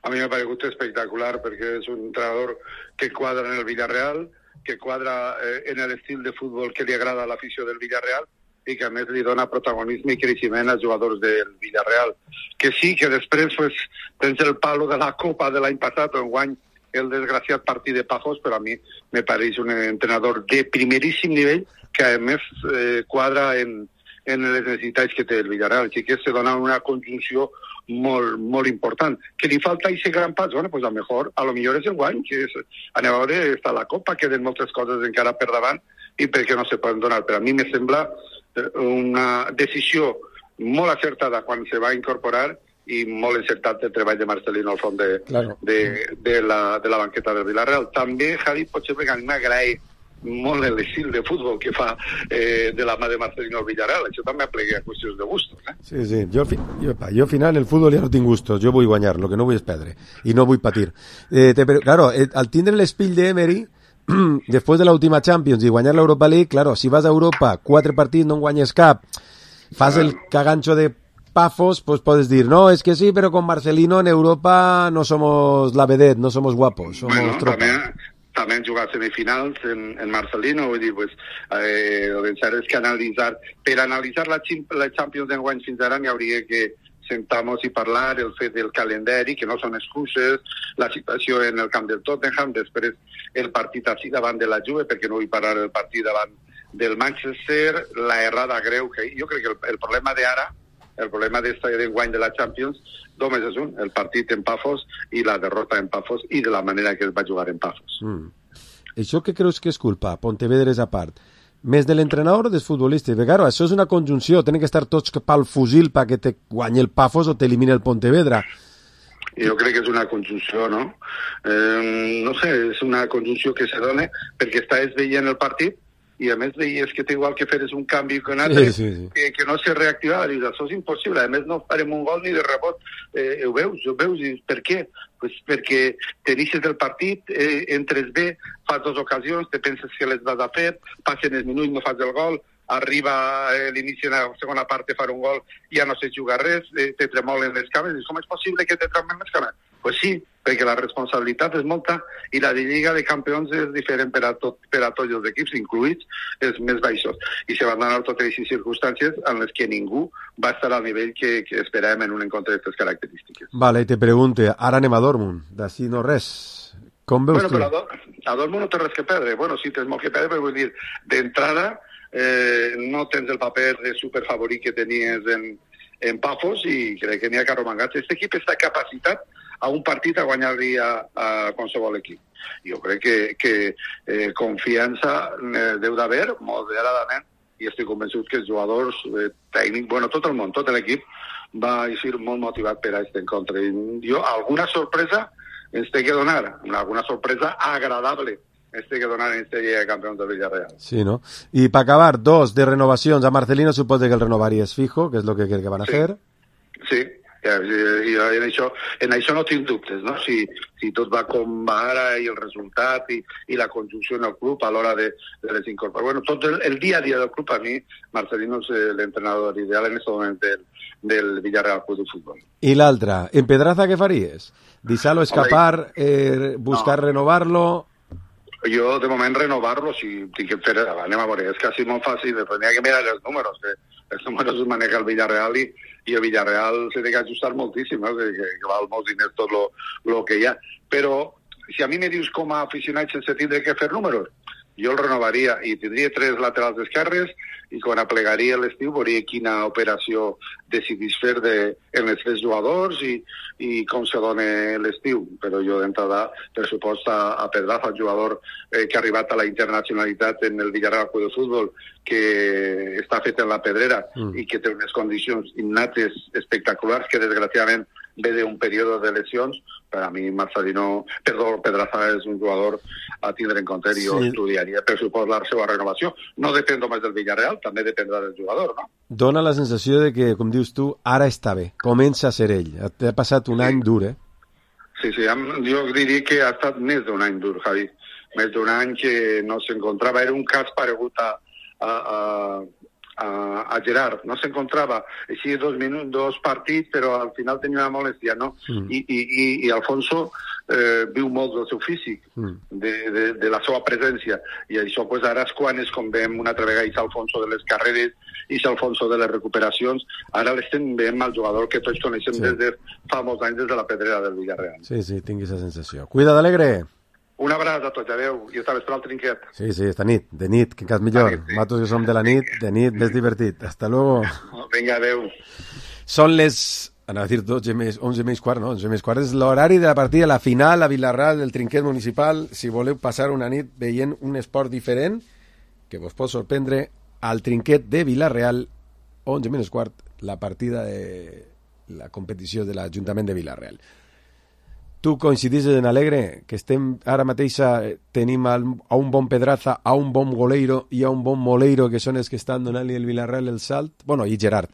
A mi m'ha paregut espectacular perquè és un entrenador que quadra en el Villarreal, que quadra en l'estil de futbol que li agrada a l'afició del Villarreal i que a més li dona protagonisme i creixement als jugadors del Villarreal. Que sí, que després pues, tens el palo de la Copa de l'any passat o enguany el desgraciat partit de Pajos, però a mi me pareix un entrenador de primeríssim nivell que a més quadra en les necessitats que té el Villarreal. Així que se dona una conjunció molt, molt important. Que li falta aquest gran pas? Bueno, pues a lo millor és el guany, que és, anem a veure, està la Copa, queden moltes coses encara per davant i perquè no se poden donar. Però a mi me sembla una decisió molt acertada quan se va incorporar i molt encertat el treball de Marcelino al front de la banqueta del Villarreal. També, Javi, potser perquè a mi m'agrada molt l'estil de futbol que fa de la mà de Marcelino al Villarreal. Això també aplega qüestions de gustos. Sí. Jo al final en el futbol ja no tinc gustos. Jo vull guanyar, el que no vull és perdre. I no vull patir. Claro, al tindre l'espill d'Emery, després de l'última Champions i guanyar l'Europa League, claro, si vas a Europa 4 partits no en guanyes cap, fas el cagancho de Pafos, pues puedes decir, no, es que sí, pero con Marcelino en Europa no somos la vedette, no somos guapos, somos tropa. També han jugat semifinals en Marcelino, vull dir, pues, el cert és que per analitzar la Champions d'enguany fins ara n'hi hauria que sentar-nos i parlar el fet del calendari, que no són excuses, la situació en el camp del Tottenham, després el partit així davant de la Juve, perquè no vull parar el partit davant del Manchester, la errada greu, que jo crec que el problema d'ara, el problema d'enguany de la Champions, només és un, el partit en Pafos i la derrota en Pafos i de la manera que es va jugar en Pafos. Això què creus que és culpa? Pontevedra és a part. Més de l'entrenador o dels futbolistes? Perquè, claro, això és una conjunció, tenen que estar tots pel fusil perquè te guanyi el Pafos o t'elimini el Pontevedra. Jo crec que és una conjunció, no? No sé, és una conjunció que se dona perquè estàs veient el partit i a més veies que té igual que fer un canvi que un altre, que no se reactivava. Dius, això és impossible, a més no farem un gol ni de rebot. Ho veus, i per què? Pues perquè t'iniciés del partit, entres bé, fas 2 ocasions, te penses que les vas a fer, passen els minuts, no fas el gol, arriba l'inici de la segona part de fer un gol, ja no sé jugar res, te tremolen les cames, i com és possible que te tremolen les cames? Pues sí, perquè la responsabilitat és molta i la de Lliga de Campions és diferent per a tots els equips, incluïts els més baixos. I se van donar totes aquestes circumstàncies en les que ningú va estar al nivell que esperàvem en un encontre d'aquestes característiques. Vale, i te pregunte, ara anem a Dortmund, d'ací no res. Com veus tu? Però a Dortmund no té res que perdre. Bueno, sí, tens molt que perdre, però vull dir, d'entrada no tens el paper de superfavorit que tenies en Pafos i crec que n'hi ha que arromangar-se. Aquest equip està capacitat a un partit a guanyar-li a qualsevol equip. Jo crec que confiança deu d'haver, moderadament, i estic convençut que els jugadors tècnics, bueno, tot el món, tot l'equip, va ser molt motivat per a aquest encontre. Jo, alguna sorpresa ens té que donar, alguna sorpresa agradable ens té que donar en aquesta Lliga de Campions de Villarreal. Sí, no? I per acabar, 2 de renovacions. A Marcelino suposo que el renovaries fijo, que és el que crec que van a fer. Sí, i en això no tinc dubtes, no? Si tot va com va ara i el resultat i la conjunció en el club a l'hora de les incorporacions. Bueno, tot el dia a dia del club, a mi, Marcelino és l'entrenador ideal en aquest moment del Villarreal Club de Futbol. I l'altra, en Pedraza què faries? Deixar-lo escapar, buscar renovar-lo... Jo, de moment, renovar-lo, si tinc que fer, anem a veure, és quasi molt fàcil, tenia que mirar els números, que els números es maneja el Villarreal i el Villarreal s'ha d'ajustar moltíssim, no? que val molts diners tot lo que hi ha. Però, si a mi me dius com a aficionat sense tindre que fer números, jo el renovaria i tindria 3 laterals esquerres i quan aplegaria l'estiu veuria quina operació decidís fer en els 3 jugadors i com se dona l'estiu. Però jo d'entrada pressupost a Pedraza, el jugador que ha arribat a la internacionalitat en el Villarreal Club de Futbol, que està fet en la Pedrera i que té unes condicions innates espectaculars que desgraciadament ve d'un període de lesions. Per a mi Pedraza és un jugador a tindre en compte i jo estudiaria per supos la seva renovació. No depèn només del Villarreal, també dependrà del jugador, no? Dóna la sensació de que, com dius tu, ara està bé, comença a ser ell. Ha passat un any dur, Sí, jo diria que ha estat més d'un any dur, Javi. Més d'un any que no s'encontrava. Era un cas paregut a Gerard, no s'encontrava així 2 partits, però al final tenia una molèstia, no? I Alfonso viu molt del seu físic, de la seva presència, i això pues, ara és quan es convem una altra vegada és Alfonso de les carreres, és Alfonso de les recuperacions, ara l'estem veient al jugador que tots coneixem des de fa molts anys des de la Pedrera del Villarreal. Sí, tingui aquesta sensació. Cuida't, Alegre! Un abraç a tots, adeu, i esta vesprada al trinquet. Sí, esta nit, de nit, que encara millor. Nosaltres que som de la nit, de nit més divertit. Hasta luego. Vinga, adeu. Són les, anava a dir 11 més quart, no? 11 més quart és l'horari de la partida, la final a Vilarreal del trinquet municipal. Si voleu passar una nit veient un esport diferent, que vos pot sorprendre, al trinquet de Vilarreal, 11 menys quart, la partida de la competició de l'Ajuntament de Vilarreal. Tu coincidisses en Alegre, que estem ara mateix tenim a un bon Pedraza, a un bon Goleiro i a un bon Moleiro, que són els que estan donant-li el Vilarreal el salt. Bueno, i Gerard.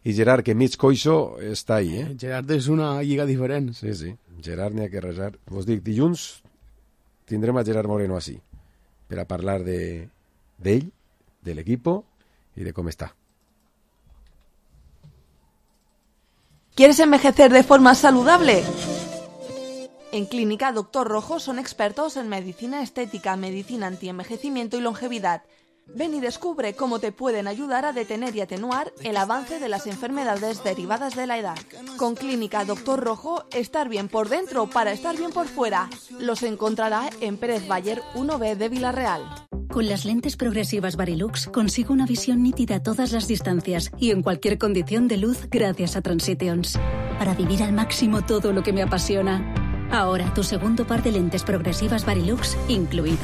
I Gerard, que mig coixo, està ahí, Gerard és una lliga diferent. Sí. Gerard n'hi ha que resar. Vos dic, dilluns tindrem a Gerard Moreno així, per a parlar d'ell, de l'equipo y de cómo está. ¿Quieres envejecer de forma saludable? En Clínica Dr. Rojo son expertos en medicina estética, medicina antienvejecimiento y longevidad. Ven y descubre cómo te pueden ayudar a detener y atenuar el avance de las enfermedades derivadas de la edad. Con Clínica Doctor Rojo, estar bien por dentro para estar bien por fuera. Los encontrará en Pérez Bayer 1B de Villarreal. Con las lentes progresivas Varilux consigo una visión nítida a todas las distancias y en cualquier condición de luz gracias a Transitions. Para vivir al máximo todo lo que me apasiona. Ahora tu segundo par de lentes progresivas Varilux incluido.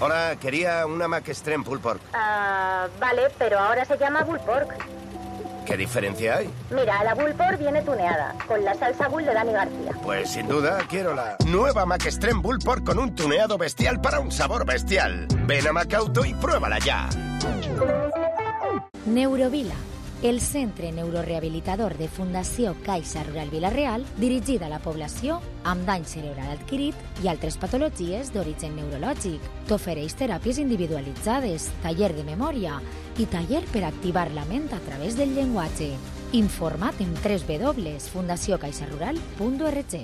Hola, quería una Mac Extreme Pulled Pork. Vale, pero ahora se llama Bull Pork. ¿Qué diferencia hay? Mira, la Bull Pork viene tuneada, con la salsa Bull de Dani García. Pues sin duda quiero la nueva Mac Extreme Bull Pork con un tuneado bestial para un sabor bestial. Ven a Macauto i pruébala ja. Neurovila, el centre neurorehabilitador de Fundació Caixa Rural Vila-real, dirigida a la població amb dany cerebral adquirit i altres patologies d'origen neurològic. T'ofereix teràpies individualitzades, taller de memòria i taller per activar la ment a través del llenguatge. Informa't en www.fundaciocaixarural.org.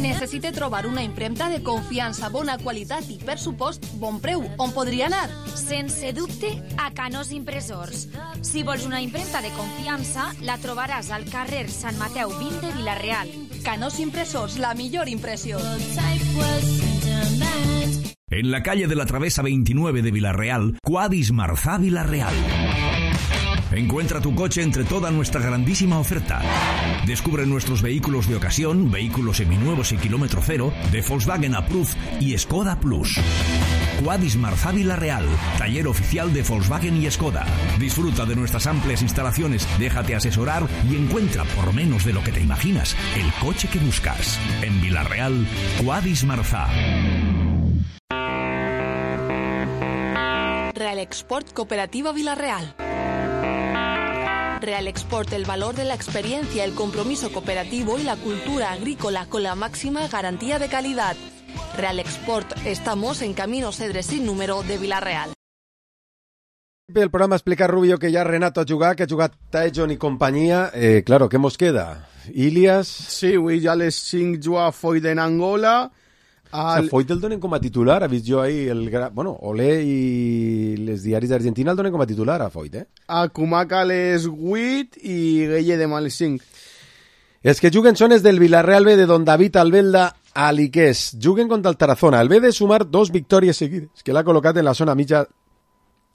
Necessita trobar una impremta de confiança, bona qualitat i, per supost, bon preu. On podria anar? Sense dubte, a Canós Impressors. Si vols una impremta de confiança, la trobaràs al carrer Sant Mateu 20 de Vila-real. Canós Impressors, la millor impressió. En la calle de la Travesa 29 de Vila-real, Quadis Marzá Vila-real. Encuentra tu coche entre toda nuestra grandísima oferta. Descubre nuestros vehículos de ocasión, vehículos seminuevos y kilómetro cero, de Volkswagen Approved y Skoda Plus. Quadis Marzá Vila-real, taller oficial de Volkswagen y Skoda. Disfruta de nuestras amplias instalaciones, déjate asesorar y encuentra, por menos de lo que te imaginas, el coche que buscas. En Vila-real, Quadis Marzá. Real Export Cooperativa Vila-real. Real Export, el valor de la experiencia, el compromiso cooperativo y la cultura agrícola con la máxima garantía de calidad. Real Export, estamos en Camino Cedres sin número de Vila-real. El programa explica Rubio que ja Renato ha jugat, que ha jugat Taejon i companyia. Claro, què mos queda? Ilias? Sí, avui ja a les 5 juga Foyt en Angola. Foyt el donen com a titular, ha vist jo ahir Olé i les diaris d'Argentina el donen com a titular a Foyt, A Cumaca a les 8 i Gueye demà a les 5. Els que juguen són els del Villarreal B de Don David Albelda a l'Iqués. Juguen contra el Tarazona. El B de sumar 2 victòries seguides, que l'ha col·locat en la zona mitja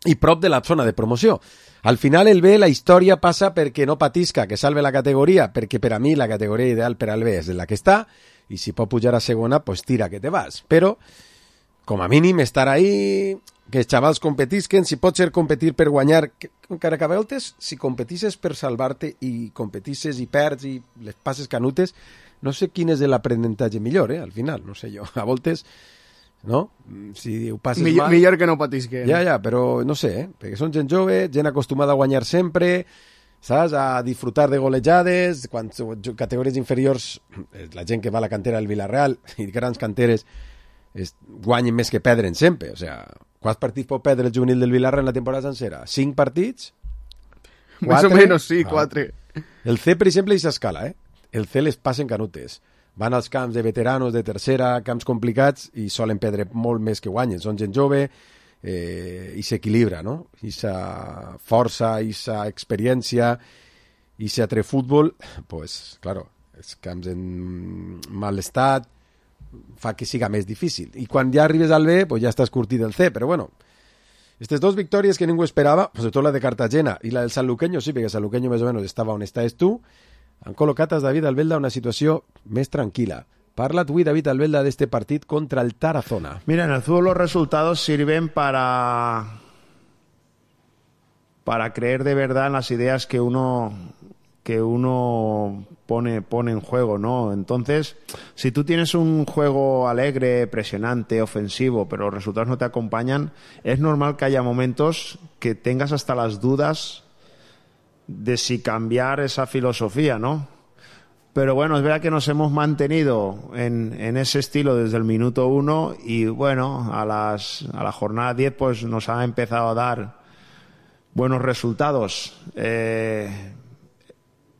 i prop de la zona de promoció. Al final el B, la història passa perquè no patisca, que salve la categoria, perquè per a mi la categoria ideal per al B és la que està, i si pot pujar a segona, pues tira que te vas. Però, com a mínim, estar ahí, que els xavals competisquen, si pot ser competir per guanyar, encara que a voltes, si competisses per salvar-te i competisses i perds i les passes canutes, no sé quin és l'aprenentatge millor, al final, no sé jo. A voltes, no? Si ho passes mal... Millor que no patisquen. Ja, però no sé, perquè són gent jove, gent acostumada a guanyar sempre... saps? A disfrutar de golejades, quan categories inferiors, la gent que va a la cantera del Villarreal i grans canteres guanyen més que perdren sempre. O sea, quants partits pot perdre el juvenil del Villarreal en la temporada sencera? 5 partits? 4? Más o menos, sí, 4. El C, per exemple, i s'escala, El C les passen canutes. Van als camps de veteranos, de tercera, camps complicats, i solen perdre molt més que guanyen. Són gent jove, i s'equilibra, no? Esa força, esa experiència, ese atre futbol, pues, claro, els camps en mal estat fa que siga més difícil. I quan ja arribes al B, pues ja estàs curtit del C, però bueno, aquestes 2 victòries que ningú esperava, sobretot la de Cartagena i la del Sanluqueño, sí, perquè Sanluqueño més o menys estava on estaves tu, han col·locat a David Albelda una situació més tranquil·la. Parla tú, David Albelda, de este partido contra el Tarazona. Mira, en el fútbol los resultados sirven para creer de verdad en las ideas que uno pone en juego, ¿no? Entonces, si tú tienes un juego alegre, presionante, ofensivo, pero los resultados no te acompañan, es normal que haya momentos que tengas hasta las dudas de si cambiar esa filosofía, ¿no? Pero bueno, es verdad que nos hemos mantenido en ese estilo desde el minuto 1 y bueno, a la jornada 10 pues nos ha empezado a dar buenos resultados.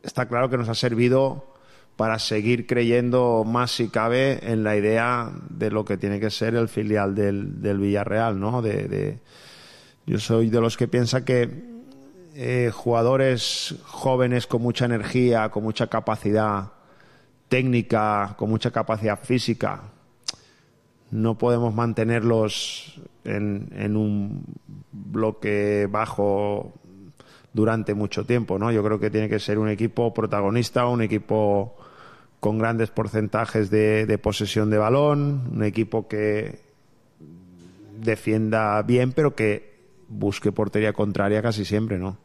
Está claro que nos ha servido para seguir creyendo más si cabe en la idea de lo que tiene que ser el filial del Villarreal, ¿no? Yo soy de los que piensa que jugadores jóvenes con mucha energía, con mucha capacidad técnica, con mucha capacidad física, no podemos mantenerlos en un bloque bajo durante mucho tiempo, ¿no? Yo creo que tiene que ser un equipo protagonista, un equipo con grandes porcentajes de posesión de balón, un equipo que defienda bien, pero que busque portería contraria casi siempre, ¿no?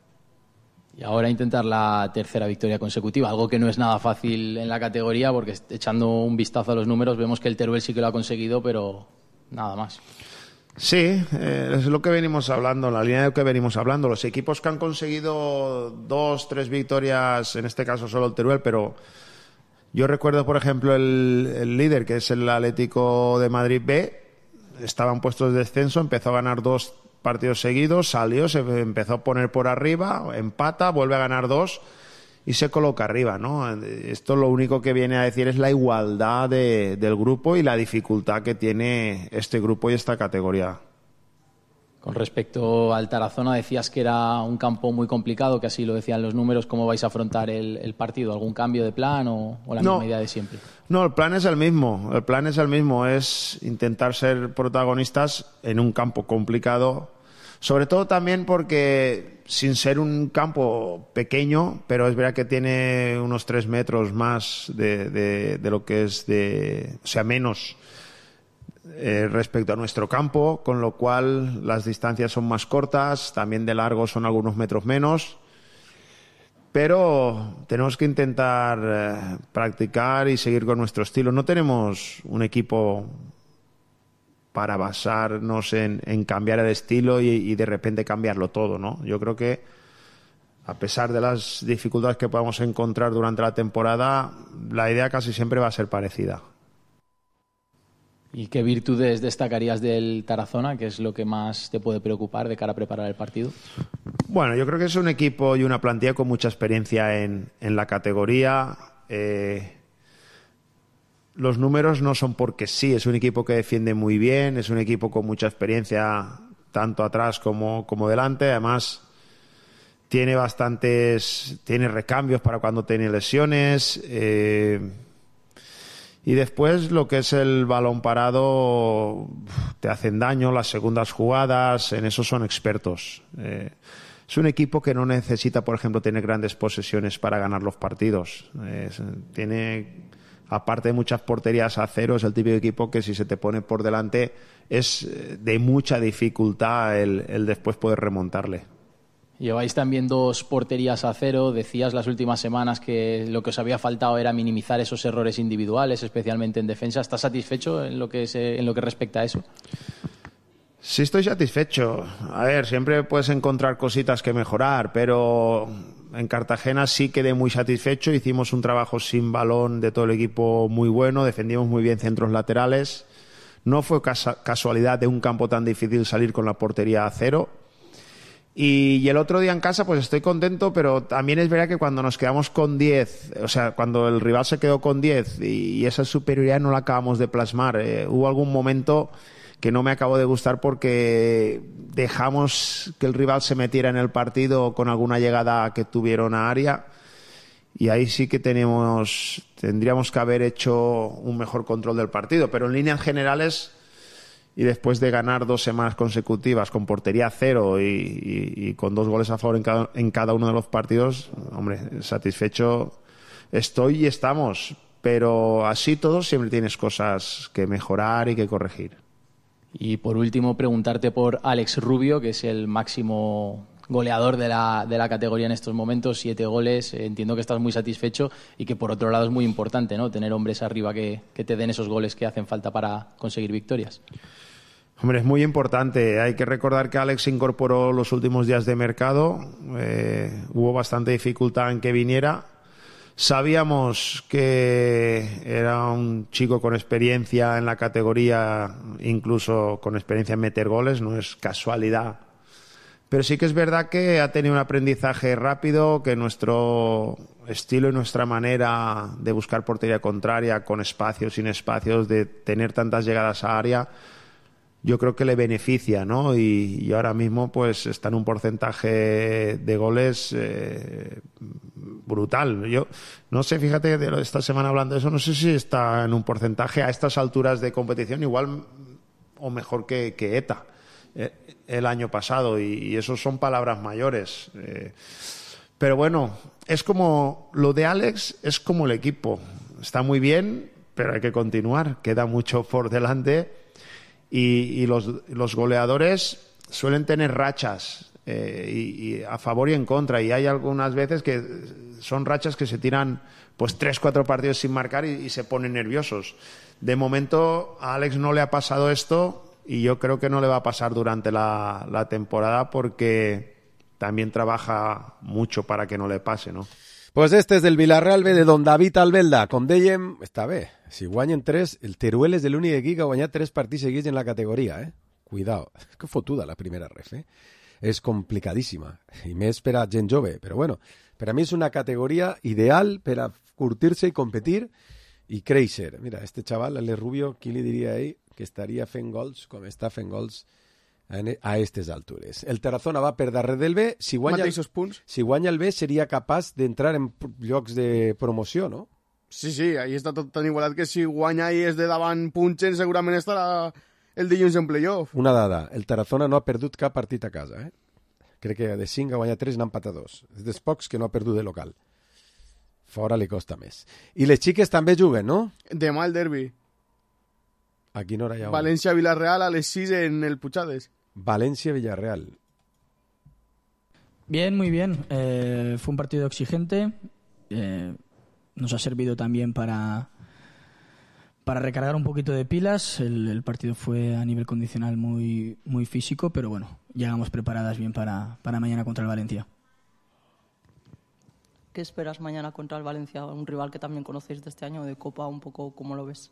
Y ahora intentar la tercera victoria consecutiva, algo que no es nada fácil en la categoría, porque echando un vistazo a los números vemos que el Teruel sí que lo ha conseguido, pero nada más. Sí, es lo que venimos hablando, la línea de lo que venimos hablando. Los equipos que han conseguido 2-3 victorias, en este caso solo el Teruel, pero yo recuerdo, por ejemplo, el líder, que es el Atlético de Madrid B, estaba en puestos de descenso, empezó a ganar 2 partidos seguidos, salió, se empezó a poner por arriba, empata, vuelve a ganar 2 y se coloca arriba, ¿no? Esto lo único que viene a decir es la igualdad del grupo y la dificultad que tiene este grupo y esta categoría. Con respecto al Tarazona, decías que era un campo muy complicado, que así lo decían los números. ¿Cómo vais a afrontar el partido? ¿Algún cambio de plan o la misma idea de siempre? No, el plan es el mismo. El plan es el mismo, es intentar ser protagonistas en un campo complicado. Sobre todo también porque, sin ser un campo pequeño, pero es verdad que tiene unos 3 metros más de lo que es o sea, menos respecto a nuestro campo, con lo cual las distancias son más cortas, también de largo son algunos metros menos, pero tenemos que intentar practicar y seguir con nuestro estilo. No tenemos un equipo para basarnos en cambiar el estilo y de repente cambiarlo todo, ¿no? Yo creo que a pesar de las dificultades que podamos encontrar durante la temporada, la idea casi siempre va a ser parecida. ¿Y qué virtudes destacarías del Tarazona? ¿Qué es lo que más te puede preocupar de cara a preparar el partido? Bueno, yo creo que es un equipo y una plantilla con mucha experiencia en la categoría. Los números no son porque sí, es un equipo que defiende muy bien, es un equipo con mucha experiencia tanto atrás como delante. Además, tiene recambios para cuando tiene lesiones. Y después lo que es el balón parado te hacen daño, las segundas jugadas, en eso son expertos. Es un equipo que no necesita, por ejemplo, tener grandes posesiones para ganar los partidos. Tiene, aparte de muchas porterías a cero, es el típico equipo que si se te pone por delante es de mucha dificultad el después poder remontarle. Lleváis también 2 porterías a cero. Decías las últimas semanas que lo que os había faltado era minimizar esos errores individuales, especialmente en defensa. ¿Estás satisfecho en lo que respecta a eso? Sí, estoy satisfecho. A ver, siempre puedes encontrar cositas que mejorar, pero en Cartagena sí quedé muy satisfecho. Hicimos un trabajo sin balón de todo el equipo muy bueno, defendimos muy bien centros laterales. No fue casualidad de un campo tan difícil salir con la portería a cero. Y el otro día en casa pues estoy contento, pero también es verdad que cuando nos quedamos con 10, o sea, cuando el rival se quedó con 10 y esa superioridad no la acabamos de plasmar, hubo algún momento que no me acabó de gustar porque dejamos que el rival se metiera en el partido con alguna llegada que tuvieron a área y ahí sí que tendríamos que haber hecho un mejor control del partido, pero en líneas generales y después de ganar 2 semanas consecutivas con portería cero y con 2 goles a favor en cada uno de los partidos, hombre, satisfecho estoy y estamos, pero así todo siempre tienes cosas que mejorar y que corregir. Y por último, preguntarte por Alex Rubio, que es el máximo goleador de la categoría en estos momentos, 7 goles. Entiendo que estás muy satisfecho y que por otro lado es muy importante, ¿no?, tener hombres arriba que te den esos goles que hacen falta para conseguir victorias. Hombre, es muy importante. Hay que recordar que Alex se incorporó los últimos días de mercado. Hubo bastante dificultad en que viniera. Sabíamos que era un chico con experiencia en la categoría, incluso con experiencia en meter goles, no es casualidad. Pero sí que es verdad que ha tenido un aprendizaje rápido, que nuestro estilo y nuestra manera de buscar portería contraria, con espacios, sin espacios, de tener tantas llegadas a área, yo creo que le beneficia, ¿no? Y ahora mismo pues está en un porcentaje de goles brutal. Yo no sé, fíjate, esta semana hablando de eso, no sé si está en un porcentaje a estas alturas de competición igual o mejor que ETA el año pasado, y eso son palabras mayores. Pero bueno, es como lo de Alex, es como el equipo. Está muy bien, pero hay que continuar. Queda mucho por delante. Y los goleadores suelen tener rachas y a favor y en contra, y hay algunas veces que son rachas que se tiran pues 3-4 partidos sin marcar y se ponen nerviosos. De momento a Alex no le ha pasado esto, y yo creo que no le va a pasar durante la temporada, porque también trabaja mucho para que no le pase, ¿no? Pues este és del Villarreal B de Don David Albelda. Com dèiem, està bé. Si guanyen 3, el Teruel és l'únic equip que ha guanyat 3 partits seguits en la categoria, Cuidao. És que fotuda la primera ref, És complicadíssima. I més per a gent jove. Però bueno, per a mi és una categoria ideal per a curtir-se i competir i créixer. Mira, este xaval, l'Ale Rubio, qui li diria a ell que estaria fent gols com està fent gols a aquestes altures. El Tarazona va per darrere del B. Si guanya el B seria capaç d'entrar en llocs de promoció, no? Sí, ahí està tot tan igualat que si guanya i és de davant punxen, segurament estarà el dilluns en playoff. Una dada, el Tarazona no ha perdut cap partit a casa, Crec que de 5 ha guanyat 3 n'ha empatat 2. És dels pocs que no ha perdut de local. Fora li costa més. I les xiques també juguen, no? Demà el derbi. A quina hora hi ha? València-Villarreal a les 6 en el Puigades. Valencia-Villarreal. Bien, muy bien. Fue un partido exigente. Nos ha servido también para recargar un poquito de pilas. El partido fue a nivel condicional muy, muy físico, pero bueno, llegamos preparadas bien para mañana contra el Valencia. ¿Qué esperas mañana contra el Valencia? Un rival que también conocéis de este año, de Copa, un poco, ¿cómo lo ves?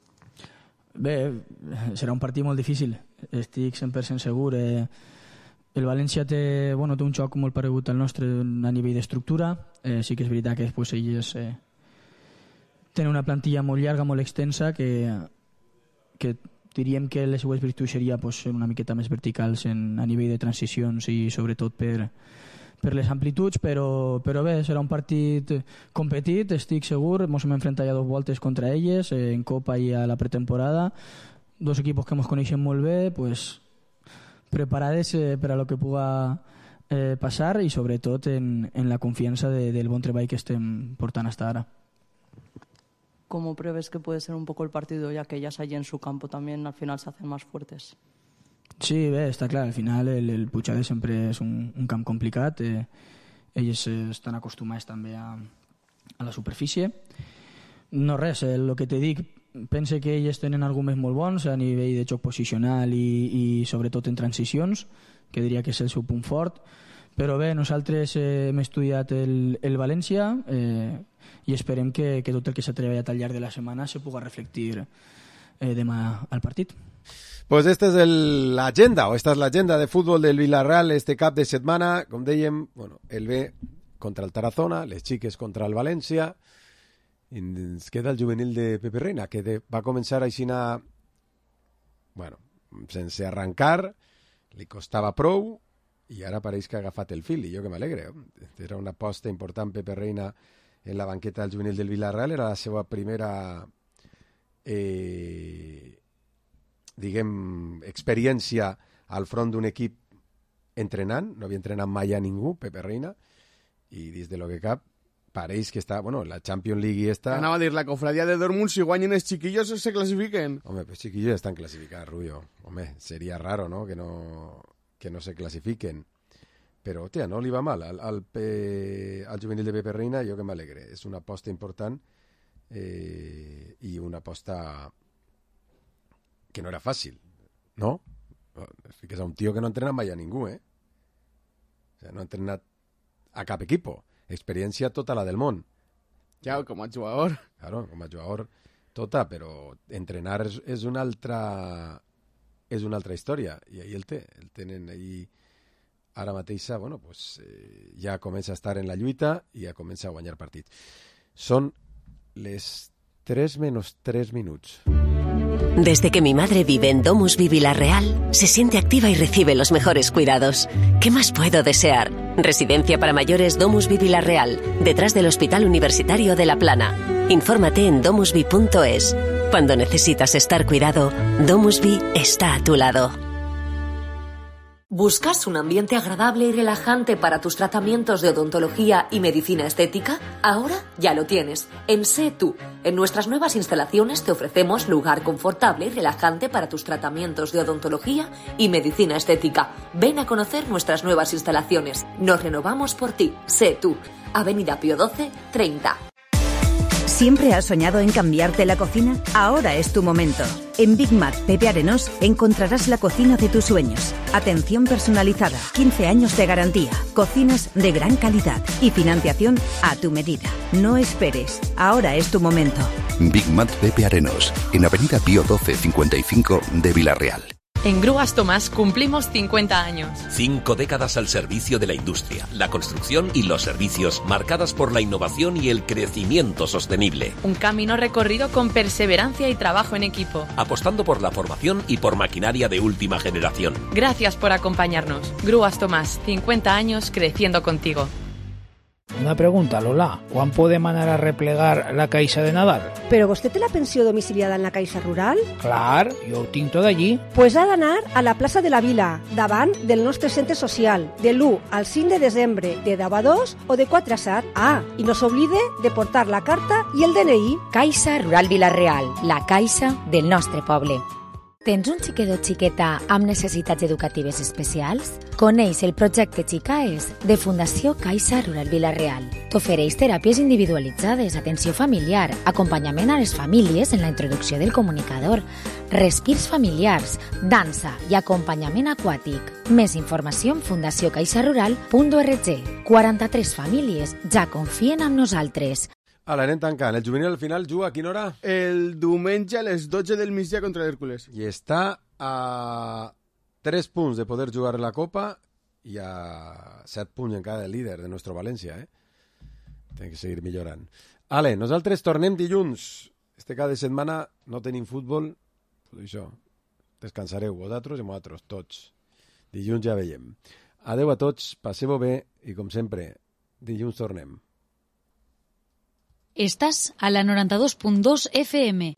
Bé, serà un partit molt difícil, estic 100% segur. El València té un xoc molt paregut al nostre a nivell d'estructura. Sí que és veritat que després ells tenen una plantilla molt llarga, molt extensa, que diríem que les seues virtuts seria ser una miqueta més verticals a nivell de transicions i sobretot per les amplituds, però bé, serà un partit competit, estic segur. Ens hem enfrentat ja 2 voltes contra elles, en Copa i a la pretemporada. 2 equipos que ens coneixem molt bé, pues preparades per a lo que puga passar, i sobretot en la confiança del bon treball que estem portant hasta ara. ¿Cómo prevés que puede ser un poco el partido, ya que ellas allí en su campo también al final se hacen más fuertes? Sí, bé, està clar, al final el Puigades sempre és un camp complicat, elles estan acostumades també a la superfície. No res, el que te dic, pense que elles tenen arguments molt bons a nivell de joc posicional i sobretot en transicions, que diria que és el seu punt fort, però bé, nosaltres hem estudiat el València i esperem que tot el que s'ha treballat al llarg de la setmana se puga reflectir demà al partit. Pues esta és l'agenda, o esta és l'agenda de futbol del Villarreal este cap de setmana. Com dèiem, el B contra el Tarazona, les xiques contra el València, i ens queda el juvenil de Pepe Reina, que va començar aixina, sense arrencar, li costava prou, i ara pareix que ha agafat el fil, i jo que m'alegre. Era una aposta important Pepe Reina en la banqueta del juvenil del Villarreal, era la seva primera experiència al front d'un equip entrenant, no havia entrenat mai a ningú, Pepe Reina, i des de lo que cap pareix que està, la Champions League està... Anava a dir, la cofradía de Dortmund, si guanyen els chiquillos se clasifiquen. Home, pues chiquillos estan clasificats, Rubio. Home, seria raro, ¿no?, que no se clasifiquen. Però, hòstia, no li va mal. Al juvenil de Pepe Reina, jo que m'alegre. És una aposta important i una aposta que no era fàcil, no? Que és un tio que no ha entrenat mai a ningú, O sea, no ha entrenat a cap equipo. Experiència tota la del món. Ja, com a jugador. Claro, com a jugador tota, però entrenar és una altra història, i ahí el tenen ahí ara mateixa, ja comença a estar en la lluita i ja comença a guanyar partit. Són les 3 menos 3 minuts. Desde que mi madre vive en DomusVi Vila-real, se siente activa y recibe los mejores cuidados. ¿Qué más puedo desear? Residencia para mayores DomusVi Vila-real, detrás del Hospital Universitario de La Plana. Infórmate en domusvi.es. Cuando necesitas estar cuidado, DomusVi está a tu lado. ¿Buscas un ambiente agradable y relajante para tus tratamientos de odontología y medicina estética? Ahora ya lo tienes. En Sé Tú. En nuestras nuevas instalaciones te ofrecemos lugar confortable y relajante para tus tratamientos de odontología y medicina estética. Ven a conocer nuestras nuevas instalaciones. Nos renovamos por ti. Sé Tú. Avenida Pío XII, 30. ¿Siempre has soñado en cambiarte la cocina? Ahora es tu momento. En Big Mac Pepe Arenós encontrarás la cocina de tus sueños. Atención personalizada, 15 años de garantía, cocinas de gran calidad y financiación a tu medida. No esperes, ahora es tu momento. Big Mac Pepe Arenós, en Avenida Pío XII 55 de Vila-real. En Grúas Tomás cumplimos 50 años. 5 décadas al servicio de la industria, la construcción y los servicios, marcadas por la innovación y el crecimiento sostenible. Un camino recorrido con perseverancia y trabajo en equipo. Apostando por la formación y por maquinaria de última generación. Gracias por acompañarnos. Grúas Tomás, 50 años creciendo contigo. Una pregunta, Lola. ¿Cuán podem anar a replegar la Caixa de Nadal? Però vostè té la pensió domiciliada en la Caixa Rural? Clar, jo ho tinc tot allí. Pues ha d'anar a la plaça de la Vila, davant del nostre centre social, de l'1 al 5 de desembre, de 10 a 2 o de 4 a 7. Ah, i no s'oblide de portar la carta i el DNI. Caixa Rural Vila-real, la caixa del nostre poble. Tens un xiquet o xiqueta amb necessitats educatives especials? Coneix el projecte Xicaes de Fundació Caixa Rural Vila-real. T'ofereix teràpies individualitzades, atenció familiar, acompanyament a les famílies en la introducció del comunicador, respirs familiars, dansa i acompanyament aquàtic. Més informació en fundaciocaixarural.org. 43 famílies ja confien en nosaltres. Ala, anem tancant. El juvenil al final juga a quina hora? El diumenge a les 12 del migdia contra l'Hèrcules. I està a 3 punts de poder jugar la Copa i a 7 punts encara del líder de nostre València. Té que seguir millorant. Ale, nosaltres tornem dilluns. Cada setmana no tenim futbol. Tot això. Descansareu vosaltres i nosaltres, tots. Dilluns ja veiem. Adeu a tots, passeu-ho bé i, com sempre, dilluns tornem. Estás a la 92.2 FM.